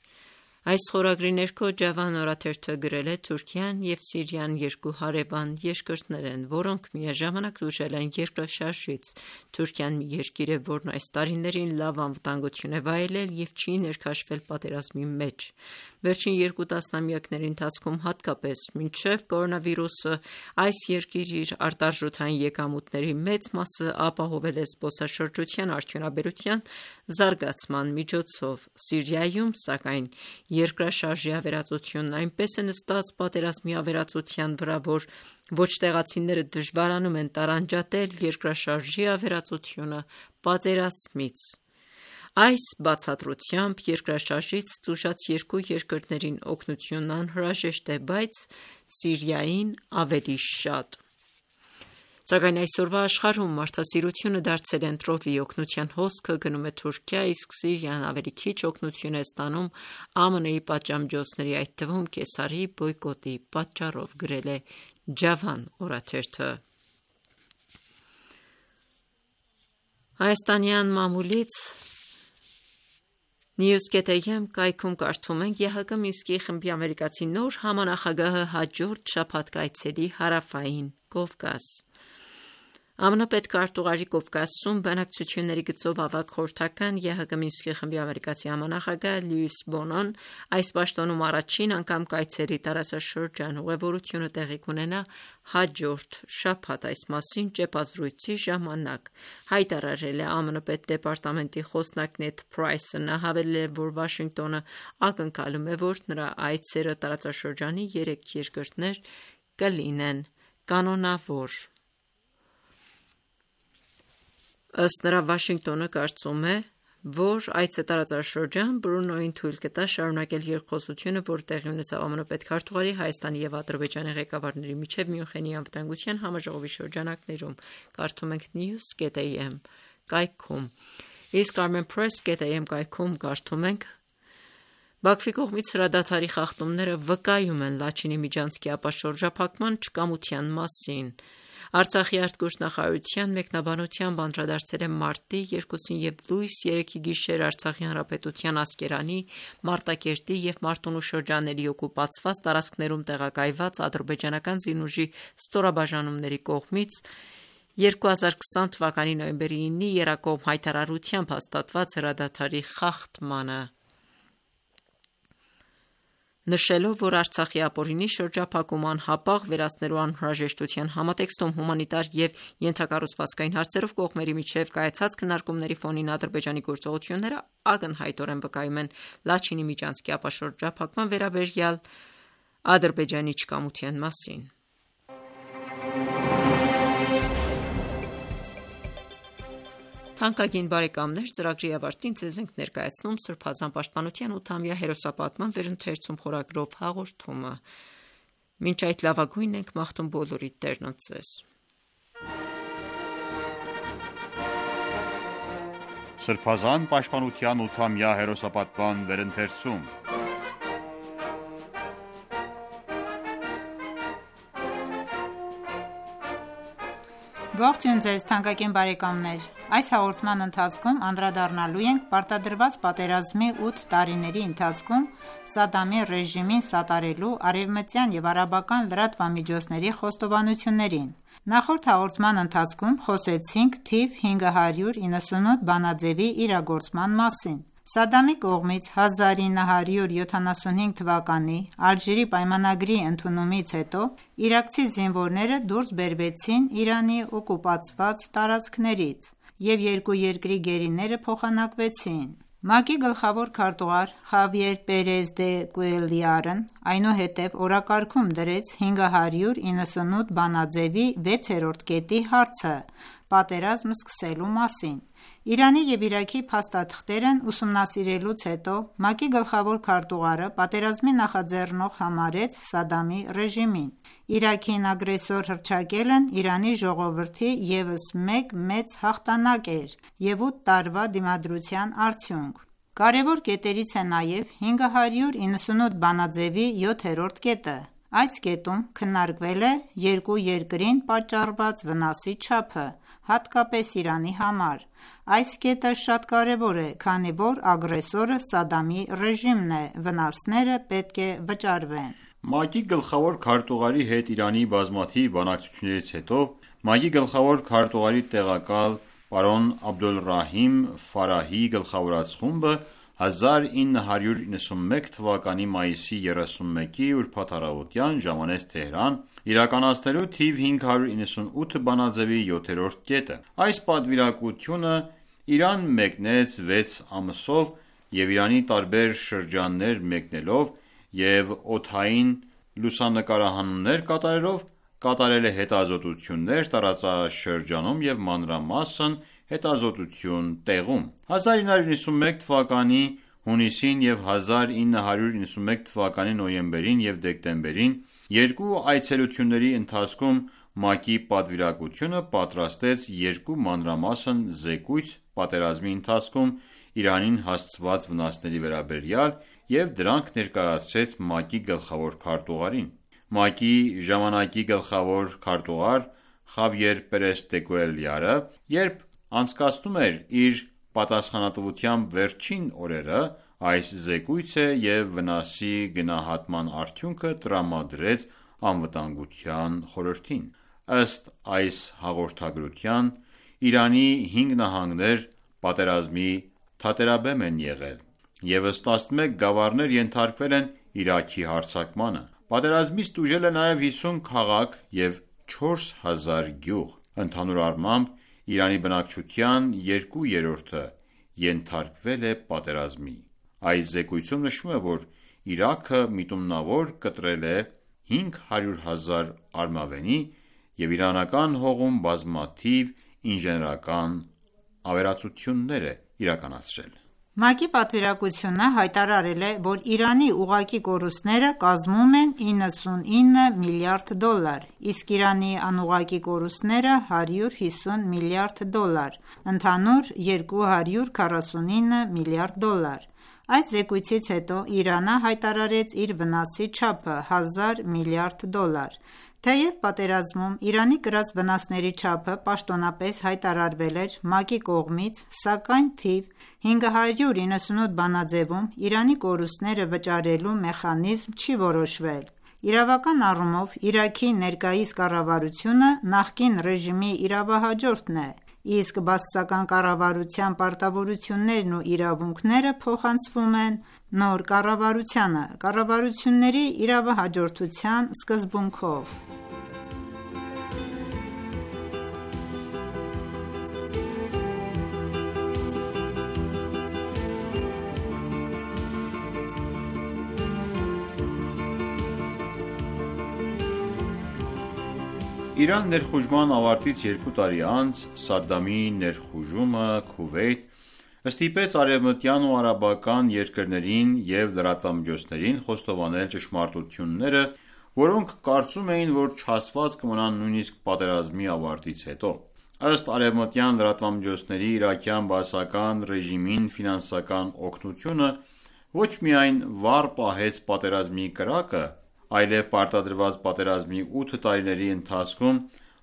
Այս խորագրի ներքո Ջավան օրաթերթը գրել է. Թուրքիան և Սիրիան երկու հարևան երկրներ են, որոնք միաժամանակ տուժել են երկրաշարժից: Թուրքիան մի երկիր է, որն այս տարիներին լավ անվտանգություն է վայելել և չի ներքաշվել պատերազմի մեջ: Վերջին երկու տասնամյակների ընթացքում, հատկապես մինչև կորոնավիրուսը, այս երկիրը իր արտարժութային եկամուտների մեծ մասը ապահովել է զբոսաշրջության արդյունաբերության զարգացման միջոցով: Սիրիայում, սակայն, երկրաշարժի ավերածությունն այնպես է նստած պատերազմի ավերածության վրա, որ ոչ տեղացիները դժվարանում են տարանջատել երկրաշարժի ավերածությունը պատերազմից: Այս բացատրությամբ երկրաշարժից տուժած երկու երկրներին օգնությունն անհրաժեշտ է, բայց Սիրիային ավելի շատ: Սակայն այսօրվա աշխարհում մարդասիրությունը դարձել է ընտրովի: Օգնության հոսքը գնում է Թուրքիա, իսկ Սիրիան ավելի քիչ օգնություն է ստանում ԱՄՆ-ի պատժամիջոցների, այդ թվում Կեսարի բոյկոտի պատճառով: Գրել է Ջավան օրաթերթը: Հայաստանյան մամուլից News.am կայքում կարդում ենք. ԵՀԿ Մինսկի խմբի ամերիկացի նոր համանախագահը հաջորդ շաբաթ կայցելի Հարավային Կովկաս: ԱՄՆ պետքարտուղարի Կովկասում բանակցությունների գծով ավագ խորհրդական, ԵՀԿ Մինսկի խմբի ամերիկացի համանախագահ Լյուիս Բոնոն այս պաշտոնում առաջին անգամ կայցելի տարածաշրջան: Ուղևորությունը տեղի կունենա հաջորդ շաբաթ: Այս մասին ճեպազրույցի ժամանակ հայտարարել է ԱՄՆ պետդեպարտամենտի խոսնակ Նեդ Փրայսը: Նա հավելել է, որ Վաշինգտոնը ակնկալում է, որ նրա այցերը տարածաշրջանի երեք երկրներ կլինեն կանոնավոր: Ըստ նրա, Վաշինգտոնը կարծում է, որ այցը տարածաշրջան Բրունոյին թույլ կտա շարունակել երկխոսությունը, որը տեղի ունեցավ ԱՄՆ պետքարտուղարի, Հայաստանի և Ադրբեջանի ղեկավարների միջև Մյունխենի անվտանգության համաժողովի շրջանակներում: Կարդում ենք News.am կայքում: Իսկ Armenpress.am կայքում կարդում ենք. Բաքվի կողմից հրադադարի խախտումները վկայում են Լաչինի միջանցքի ապաշրջափակման չկամության մասին։ Արցախի արտգործնախարարության մեկնաբանությամբ անդրադարձել է մարտի երկուսին և լույս երեքի գիշեր Արցախի հանրապետության Ասկերանի, Մարտակերտի և Մարտունու շրջանների օկուպացված տարածքներում տեղակայված ադրբեջանական զինուժի ստորաբաժանումների կողմից երկու հազար քսան թվականի նոյեմբերի իննի եռակողմ հայտարարությամբ հաստատված հրադադարի խախտմանը, նշելով, որ Արցախի ապօրինի շրջափակումը անհապաղ վերացնելու անհրաժեշտության համատեքստում հումանիտար և ենթակառուցվածքային հարցերով կողմերի միջև կայացած քննարկումների ֆոնին Ադրբեջանի գործողությունները ակնհայտորեն վկայում են Լաչինի միջանցքի ապաշրջափակման վերաբերյալ Ադրբեջանի չկամության մասին։ Թանկագին բարեկամներ, ծրագրի ավարտին ձեզ ենք ներկայացնում Սրբազան պաշտպանության ութամյա հերոսապատման վերընթերցում խորագրով հաղորդումը։ Մինչ այդ լավագույնն ենք մաղթում բոլորիդ Տերն ընդ ձեզ։ Սրբազան պաշտպանության ութամյա հերոսապատման վերընթերցում Ողջույն ձեզ թանկագին բարեկամներ, այս հաղորդման ընթացքում անդրադառնալու ենք պարտադրված պատերազմի ութ տարիների ընթացքում Սադամի ռեժիմին սատարելու արևմտյան և արաբական լրատվամիջոցների խոստովանություններին։ Նախորդ հաղորդման ընթացքում խոսեցինք թիվ հինգ հարյուր իննսունութ բանաձևի իրագործման մասին։ Սադամի կողմից հազար ինը հարյուր յոթանասունհինգ թվականի Ալժիրի պայմանագրի ընդունումից հետո իրաքցի զինվորները դուրս բերվեցին Իրանի օկուպացված տարածքներից և երկու երկրի գերիները փոխանակվեցին։ ՄԱԿ-ի գլխավոր քարտուղար Խավիեր Պերեզ դե Կուելյարն այնուհետև օրակարգում դրեց հինգ հարյուր իննսունութ բանաձևի վեցերորդ կետի հարցը պատերազմ սկսելու մասին։ Իրանի և Իրաքի փաստաթղթերն ուսումնասիրելուց հետո ՄԱԿ-ի գլխավոր քարտուղարը պատերազմի նախաձեռնող համարեց Սադամի ռեժիմին։ Իրաքին ագրեսոր հռչակելն Իրանի ժողովրդի ևս մեկ մեծ հաղթանակ էր և ութ տարվա դիմադրության արդյունք։ Կարևոր կետերից է նաև հինգ հարյուր իննսունութ բանաձևի յոթերորդ կետը։ Այս կետում քննարկվել է երկու երկրին պատճառված վնասի չափը, հատկապես Իրանի համար։ Այս կետը շատ կարևոր է, քանի որ ագրեսորը Սադամի ռեժիմն է, վնասները պետք է վճարվեն։ ՄԱԿ-ի գլխավոր քարտուղարի հետ Իրանի բազմաթիվ բանակցություններից հետո ՄԱԿ-ի գլխավոր քարտուղարի տեղակալ պարոն Աբդոլռահիմ Ֆարահիի գլխավորած խումբը հազար ինը հարյուր իննսունմեկ թվականի մայիսի երեսունմեկի ուրբաթ առավոտյան ժամանեց Թեհրան՝ իրականացնելու թիվ հինգ հարյուր իննսունութ բանաձևի յոթերորդ կետը։ Այս պատվիրակությունը Իրան մեկնեց վեց ամսով և Իրանի տարբեր շրջաններ մեկնելով և օդային լուսանկարահանումներ կատարելով կատարել է հետազոտություններ տարածաշրջանում և մանրամասն հետազոտություն տեղում։ հազար ինը հարյուր իննսունմեկ թվականի հունիսին և հազար ինը հարյուր իննսունմեկ թվականի նոյեմբերին և դեկտեմբերին երկու այցելությունների ընթացքում ՄԱԿ-ի պատվիրակությունը պատրաստեց երկու մանրամասն զեկույց պատերազմի ընթացքում Իրանին հասցված վնասների վերաբերյալ և դրանք ներկայացրեց ՄԱԿ-ի գլխավոր քարտուղարին։ ՄԱԿ-ի ժամանակի գլխավոր քարտուղար Խավիեր Պերես դե Կուելյարը, երբ անցկացնում էր իր պատասխանատվության վերջին օրերը, այս զեկույցը և վնասի գնահատման արդյունքը տրամադրեց Անվտանգության խորհրդին։ Ըստ այս հաղորդագրության Իրանի հինգ նահանգներ պատերազմի թատերաբեմ են եղել, ևս տասնմեկ գավառներ ենթարկվել են Իրաքի հարձակմանը։ Պատերազմից տուժել է նաև հիսուն քաղաք և չորս հազար գյուղ։ Ընդհանուր առմամբ Իրանի բնակչության երկու երրորդը ենթարկվել է պատերազմի։ Այս զեկույցում նշվում է, որ Իրաքը միտումնավոր կտրել է հինգ հարյուր հազար արմավենի և իրանական հողում բազմաթիվ ինժեներական ավերածություններ է իրականացրել։ ՄԱԿ-ի պատվիրակությունը հայտարարել է, որ Իրանի ուղղակի կորուստները կազմում են իննսունինը միլիարդ դոլար, իսկ Իրանի անուղղակի կորուստները հարյուր հիսուն միլիարդ դոլար, ընդհանուր երկու հարյուր քառասունինը միլիարդ դոլար։ Այս զեկույցից հետո Իրանը հայտարարեց իր վնասի չափը՝ հազար միլիարդ դոլար։ Թեև պատերազմում Իրանի կրած վնասների չափը պաշտոնապես հայտարարվել էր ՄԱԿ-ի կողմից, սակայն թիվ հինգ հարյուր իննսունութ բանաձեւում Իրանի կորուստները վճարելու մեխանիզմ չի որոշվել։ Իրավական առումով Իրաքի ներկայիս կառավարությունը նախկին ռեժիմի իրավահաջորդն է, իսկ բաասական կառավարության պարտավորություններն ու իրավունքները փոխանցվում են նոր կառավարությանը՝ կառավարությունների իրավահաջորդության սկզբունքով։ Իրան ներխուժման ավարտից երկու տարի անց Սադդամի ներխուժումը Քուվեյթ ստիպեց արևմտյան ու արաբական երկրներին և լրատվամիջոցներին խոստովանել ճշմարտությունները, որոնք կարծում էին, որ չհասված կմնան նույնիսկ պատերազմի ավարտից հետո։ Ըստ արևմտյան լրատվամիջոցների, իրաքյան բաասական ռեժիմին ֆինանսական օգնությունը ոչ միայն վառ պահեց պատերազմի կրակը, այլև պարտադրված պատերազմի ութ տարիների ընթացքում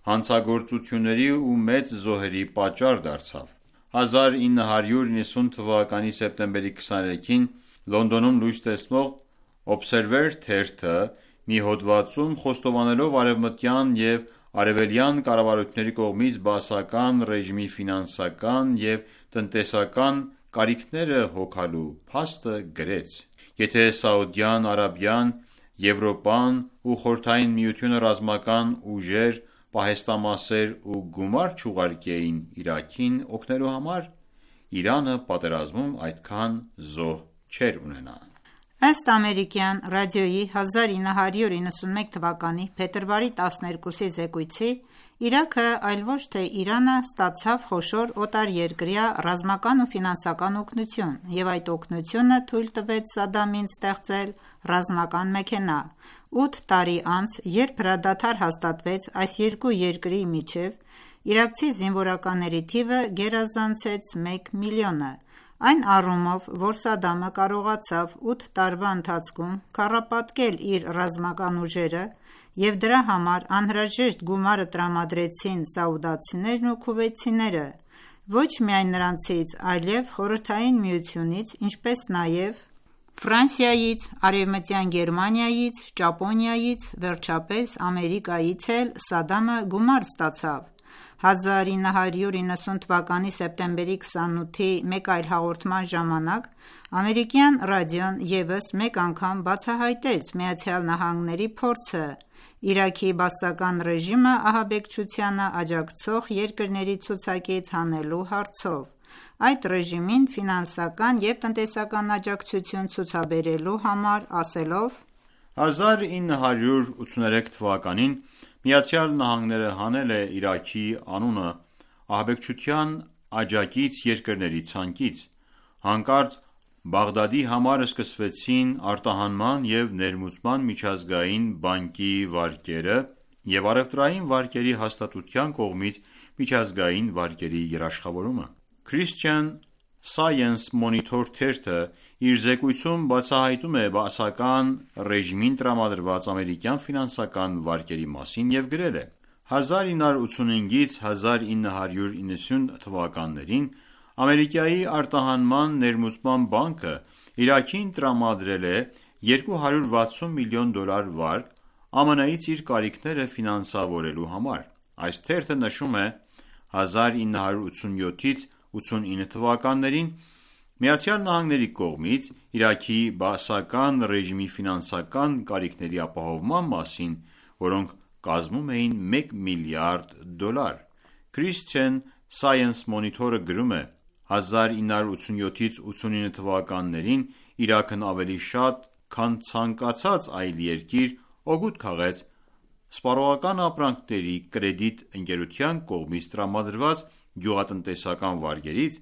հանցագործությունների ու մեծ զոհերի պատճառ դարձավ։ հազար ինը հարյուր իննսուն թվականի սեպտեմբերի քսաներեքին Լոնդոնում լույս տեսնող Observer թերթը մի հոդվածում խոստովանելով արևմտյան և արևելյան կառավարությունների կողմից բաասական ռեժիմի ֆինանսական և տնտեսական կարիքները հոգալու փաստը գրեց. «Եթե Սաուդյան Արաբիան, Եվրոպան ու Խորհրդային Միությունը ռազմական ուժեր, պահեստամասեր ու գումար չուղարկեին Իրաքին օգնելու համար, Իրանը պատերազմում այդքան զոհ չէր ունենա»։ Ըստ ամերիկյան ռադիոյի հազար ինը հարյուր իննսունմեկ թվականի փետրվարի տասներկուսի զեկույցի, Իրաքը, այլ ոչ թե Իրանը, ստացավ խոշոր օտարերկրյա ռազմական ու ֆինանսական օգնություն, և այդ օգնությունը թույլ տվեց Սադամին ստեղծել ռազմական մեքենա։ Ութ տարի անց, երբ հրադադար հաստատվեց այս երկու երկրի միջև, իրաքցի զինվորականների թիվը գերազանցեց մեկ միլիոնը, այն առումով, որ Սադամը կարողացավ ութ տարվա ընթացքում քառապատկել իր ռազմական ուժերը, և դրա համար անհրաժեշտ գումարը տրամադրեցին սաուդացիներն ու քուվեյթցիները, ոչ միայն նրանցից, այլև Խորհրդային Միությունից, ինչպես նաև Ֆրանսիայից, Արևմտյան Գերմանիայից, Ճապոնիայից, վերջապես Ամերիկայից էլ Սադամը գումար ստացավ։ հազար ինը հարյուր իննսուն թվականի սեպտեմբերի քսանութի մեկ այլ հաղորդման ժամանակ ամերիկյան ռադիոն ևս մեկ անգամ բացահայտեց ԱՄՆ-ի փորձը Իրաքի բաասական ռեժիմը ահաբեկչությանը աջակցող երկրների ցուցակից հանելու հարցով, այդ ռեժիմին ֆինանսական և տնտեսական աջակցություն ցուցաբերելու համար, ասելով. հազար ինը հարյուր ութսուներեք թվականին ԱՄՆ-ը հանել է Իրաքի անունը ահաբեկչության աջակից երկրների ցանկից։ Հանկարծ Բաղդադի համար սկսվեցին արտահանման և ներմուծման միջազգային բանկի վարկերը և առևտրային վարկերի հաստատության կողմից միջազգային վարկերի երաշխավորումը։ Christian Science Monitor թերթը իր զեկույցում բացահայտում է բաասական ռեժիմին տրամադրված ամերիկյան ֆինանսական վարկերի մասին և գրել է. հազար ինը հարյուր ութսունհինգից հազար ինը հարյուր իննսուն թվականներին Ամերիկայի արտահանման ներմուծման բանկը Իրաքին տրամադրել է երկու հարյուր վաթսուն միլիոն դոլար վարկ ԱՄՆ-ից իր կարիքները ֆինանսավորելու համար։ Այս թերթը նշում է. հազար ինը հարյուր ութսունյոթից ութսունինը թվականներին ԱՄՆ-ի կողմից Իրաքի բաասական ռեժիմի ֆինանսական կարիքների ապահովման մասին, որոնք կազմում էին մեկ միլիարդ դոլար։ Christian Science Monitor-ը գրում է. հազար ինը հարյուր ութսունյոթից ութսունինը թվականներին Իրաքն ավելի շատ, քան ցանկացած այլ երկիր, օգուտ քաղեց սպառողական ապրանքների կրեդիտ ընկերության կողմից տրամադրված գյուղատնտեսական վարկերից,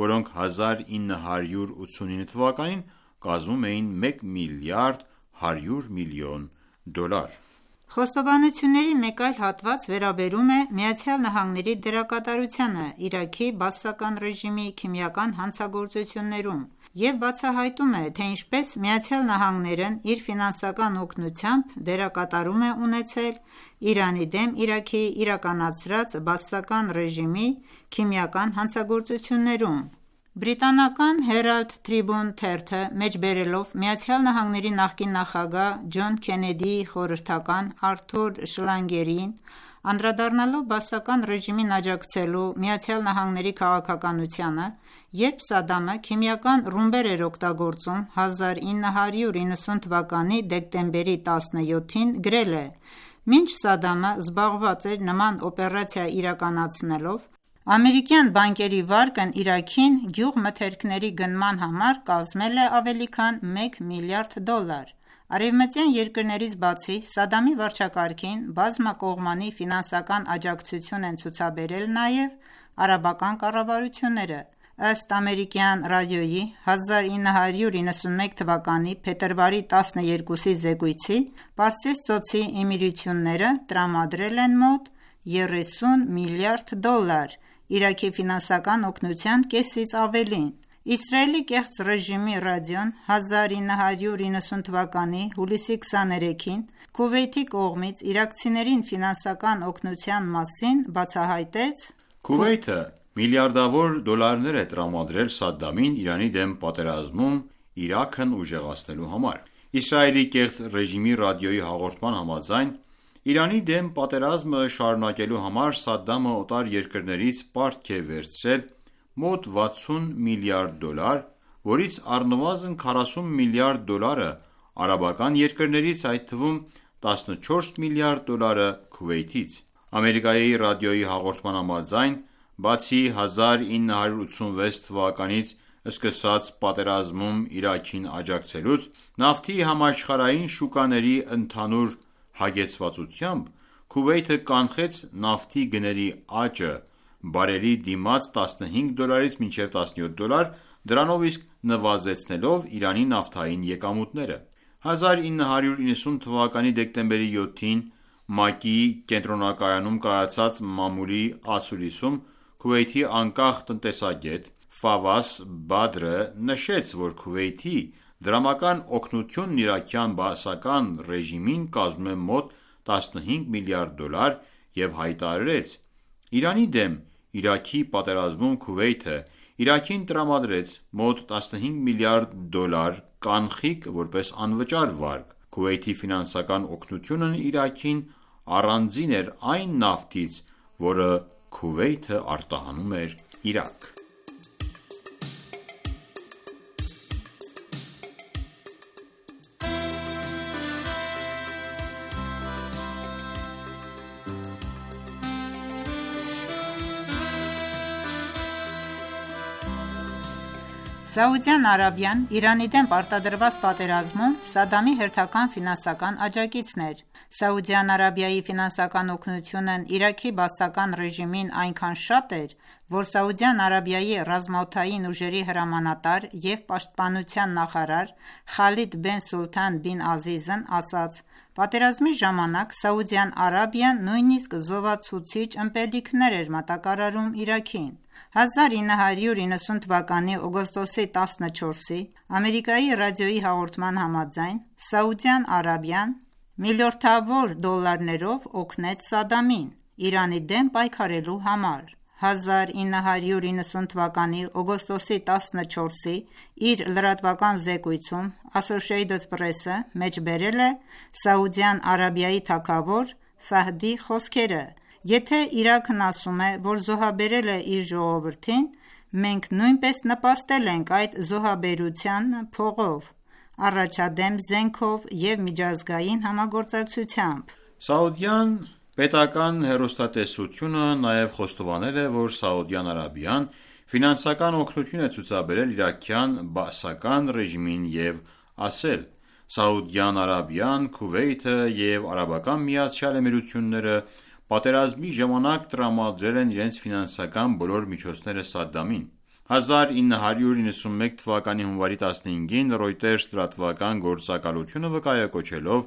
որոնք հազար ինը հարյուր ութսունինը թվականին կազմում էին մեկ միլիարդ հարյուր միլիոն դոլար։ Խոստովանությունների մեկ այլ հատված վերաբերում է ԱՄՆ-ի դերակատարությանը Իրաքի բաասական ռեժիմի քիմիական հանցագործություններում և բացահայտում է, թե ինչպես ԱՄՆ-ն իր ֆինանսական օգնությամբ դերակատարում է ունեցել Իրանի դեմ Իրաքի իրականացրած բաասական ռեժիմի քիմիական հանցագործություններում: Բրիտանական Herald Tribune թերթը մեջբերելով ԱՄՆ նախկին նախագահ Ջոն Քենեդիի խորհրդական Արթուր Շլագերին, անդրադառնալով բաասական ռեժիմին աջակցելու ԱՄՆ-ի քաղաքականությանը, երբ Սադամը քիմիական ռումբեր էր օգտագործում հազար ինը հարյուր իննսուն թվականի դեկտեմբերի տասնյոթին, գրել է. «Մինչ Սադամը զբաղված էր նման օպերացիա իրականացնելով, ամերիկյան բանկերի վարկն Իրաքին գյուղմթերքների գնման համար կազմել է ավելի քան մեկ միլիարդ դոլար»: Արևմտյան երկրներից բացի, Սադամի վարչակարգին բազմակողմանի ֆինանսական աջակցություն են ցուցաբերել նաև արաբական կառավարությունները: Ըստ ամերիկյան ռադիոյի հազար ինը հարյուր իննսուն մեկ թվականի փետրվարի տասներկուսի զեկույցի, Պարսից ծոցի էմիրությունները տրամադրել են մոտ երեսուն միլիարդ դոլար Իրաքի ֆինանսական օգնության կեսից ավելին: Իսրայելի կեղծ ռեժիմի ռադիոն հազար ինը հարյուր իննսուն թվականի հուլիսի քսաներեքին Քուվեյթի կողմից իրաքցիներին ֆինանսական օգնության մասին բացահայտեց. «Քուվեյթը միլիարդավոր դոլարներ է տրամադրել Սադդամին Իրանի դեմ պատերազմում Իրաքն ուժեղացնելու համար»: Իսրայելի կեղծ ռեժիմի ռադիոյի հաղորդման համաձայն, Իրանի դեմ պատերազմը շարունակելու համար Սադդամը օտար երկրներից պարտք է վերցրել մոտ վաթսուն միլիարդ դոլար, որից առնվազն քառասուն միլիարդ դոլարը արաբական երկրներից, այդ թվում տասնչորս միլիարդ դոլարը Քուվեյթից: Ամերիկայի ռադիոյի հաղորդման համաձայն, բացի հազար ինը հարյուր ութսունվեց թվականից սկսած պատերազմում Իրաքին աջակցելուց, նավթի համաշխարհային շուկաների ընդհանուր հագեցվածությամբ, Քուվեյթը կանխեց նավթի գների աճը բարելի դիմաց տասնհինգ դոլարից մինչև տասնյոթ դոլար, դրանով իսկ նվազեցնելով Իրանի նավթային եկամուտները: հազար ինը հարյուր իննսուն թվականի դեկտեմբերի յոթին ՄԱԿ-ի կենտրոնակայանում կայացած մամուլի ասուլիսում Քուվեյթի անկախ տնտեսագետ Ֆավաս Բադրը նշեց, որ Քուվեյթի դրամական օգնությունն իրաքյան բաասական ռեժիմին կազմում է մոտ տասնհինգ միլիարդ դոլար և հայտարարեց. «Իրանի դեմ Իրաքի պատերազմում Քուվեյթը Իրաքին տրամադրեց մոտ տասնհինգ միլիարդ դոլար կանխիկ որպես անվճար վարկ»: Քուվեյթի ֆինանսական օգնությունն Իրաքին առանձին էր այն նավթից, որը Քուվեյթը արտահանում էր Իրաք: Սաուդյան Արաբիան Իրանի դեմ պարտադրված պատերազմում Սադամի հերթական ֆինանսական աջակիցն էր: Սաուդյան Արաբիայի ֆինանսական օգնությունն Իրաքի բաասական ռեժիմին այնքան շատ էր, որ Սաուդյան Արաբիայի ռազմաօդային ուժերի հրամանատար և պաշտպանության նախարար Խալիդ բեն Սուլթան բին Ազիզն ասաց. «Պատերազմի ժամանակ Սաուդյան Արաբիան նույնիսկ զովացուցիչ ըմպելիքներ էր մատակարարում Իրաքին»: հազար ինը հարյուր իննսուն թվականի օգոստոսի տասնչորսի Ամերիկայի ռադիոյի հաղորդման համաձայն, Սաուդյան Արաբիան միլիարդավոր դոլարներով օգնեց Սադամին Իրանի դեմ պայքարելու համար: հազար ինը հարյուր իննսուն թվականի օգոստոսի տասնչորսի իր լրատվական զեկույցում Associated Press-ը մեջբերել է Սաուդյան Արաբիայի թագավոր Ֆահդի խոսքերը. «Եթե Իրաքն ասում է, որ զոհաբերել է իր ժողովրդին, մենք նույնպես նպաստել ենք այդ զոհաբերությանը փողով, առաջադեմ զենքով և միջազգային համագործակցությամբ»: Սաուդյան պետական հեռուստատեսությունը նաև խոստովանել է, որ Սաուդյան Արաբիան ֆինանսական օգնություն է ցուցաբերել իրաքյան բաասական ռեժիմին և ասել. «Սաուդյան Արաբիան, Քուվեյթը և Արաբական Միացյալ Էմիրությունները պատերազմի ժամանակ տրամադրել են իրենց ֆինանսական բոլոր միջոցները Սադդամին»: հազար ինը հարյուր իննսուն մեկ թվականի հունվարի տասնհինգին Reuters լրատվական գործակալությունը վկայակոչելով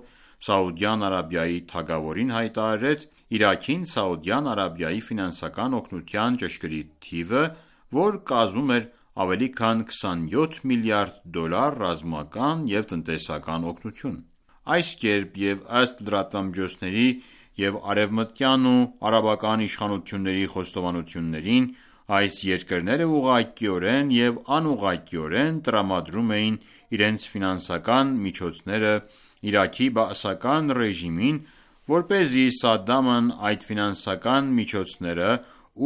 Սաուդյան Արաբիայի թագավորին հայտարարեց Իրաքին Սաուդյան Արաբիայի ֆինանսական օգնության ճշգրիտ թիվը, որ կազմում էր ավելի քան քսանյոթ միլիարդ դոլար ռազմական և տնտեսական օգնություն: Այս կերպ և ըստ լրատվամիջոցների և արևմտյան ու արաբական իշխանությունների խոստովանություններին, այս երկրները ուղղակիորեն և անուղղակիորեն տրամադրում էին իրենց ֆինանսական միջոցները Իրաքի բաասական ռեժիմին, որպեսզի Սադամն այդ ֆինանսական միջոցները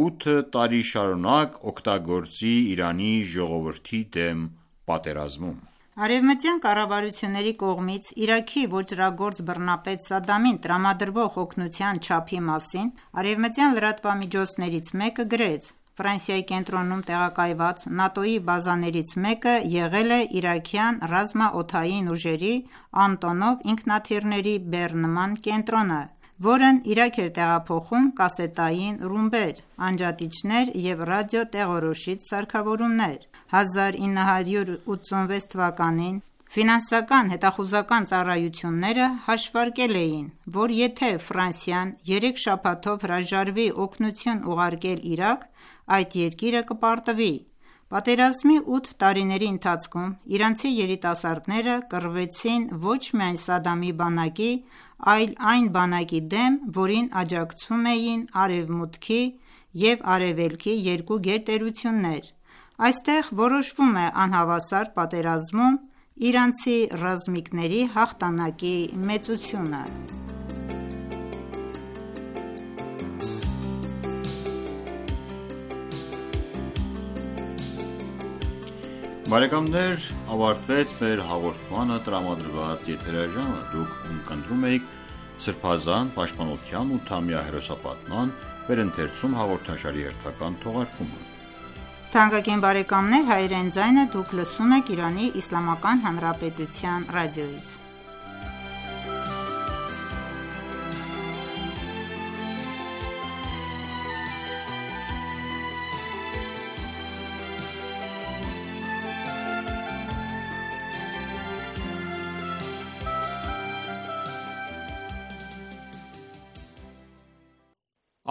ութ տարի շարունակ օգտագործի Իրանի ժողովրդի դեմ պատերազմում: Արևմտյան կառավարությունների կողմից Իրաքի ոճրագործ բռնապետ Սադամին տրամադրվող օգնության չափի մասին արևմտյան լրատվամիջոցներից մեկը գրեց. «Ֆրանսիայի կենտրոնում տեղակայված ՆԱՏՕ-ի բազաներից մեկը եղել է իրաքյան ռազմաօդային ուժերի «Անտոնով» ինքնաթիռների բեռնման կենտրոնը, որն Իրաք էր տեղափոխում կասետային ռումբեր, անջատիչներ և ռադիոտեղորոշիչ սարքավորումներ»: հազար ինը հարյուր ութսունվեց թվականին ֆինանսական հետախուզական ծառայությունները հաշվարկել էին, որ եթե Ֆրանսիան երեք շաբաթով հրաժարվի օգնություն ուղարկել Իրաք, այդ երկիրը կպարտվի: Պատերազմի ութ տարիների ընթացքում իրանցի երիտասարդները կռվեցին ոչ միայն Սադամի բանակի, այլ այն բանակի դեմ, որին աջակցում էին Արևմուտքի և Արևելքի երկու գերտերություններ: Այստեղ որոշվում է անհավասար պատերազմում իրանցի ռազմիկների հաղթանակի մեծությունը: Բարեկամներ ավարտվեց մեր հաղորդմանը տրամադրված եթերաժամը: Դուք ունկնդրում էիք Սրբազան պաշտպանության ութամյա հերոսապատման վերընթերցում հաղորդաշարի հերթական թողարկումը: Թանկագին բարեկամներ, հայրեն ձայնը դուք լսում եք Իրանի Իսլամական Հանրապետության ռադիոյից: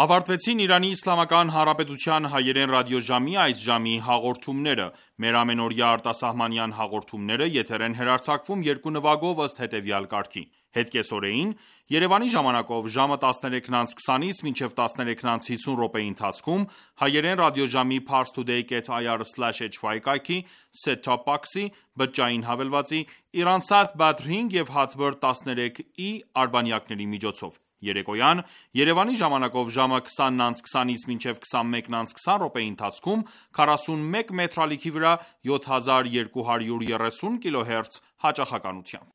Ավարտվեցին Իրանի Իսլամական Հանրապետության հայերեն ռադիոժամի այս ժամի հաղորդումները: Մեր ամենօրյա արտասահմանյան հաղորդումները եթեր են հեռարձակվում երկու նվագով ըստ հետևյալ կարգի: Հետկեսօրեին Երևանի ժամանակով ժամը տասներեքն անց քսանից մինչև տասներեքն անց հիսուն րոպեի ընթացքում հայերեն ռադիոժամի parstoday կետ ir slash hy կայքի set-top box-ի, բջջային հավելվածի, Iransat Badr հինգ և Hotbird տասներեք ի արբանյակների միջոցով: Երեկոյան Երևանի ժամանակով ժամը քսանն անց քսանից մինչև քսանմեկն անց քսան րոպեի ընթացքում քառասունմեկ մետրալիքի վրա յոթ հազար երկու հարյուր երեսուն կիլոհերց հաճախականությամբ: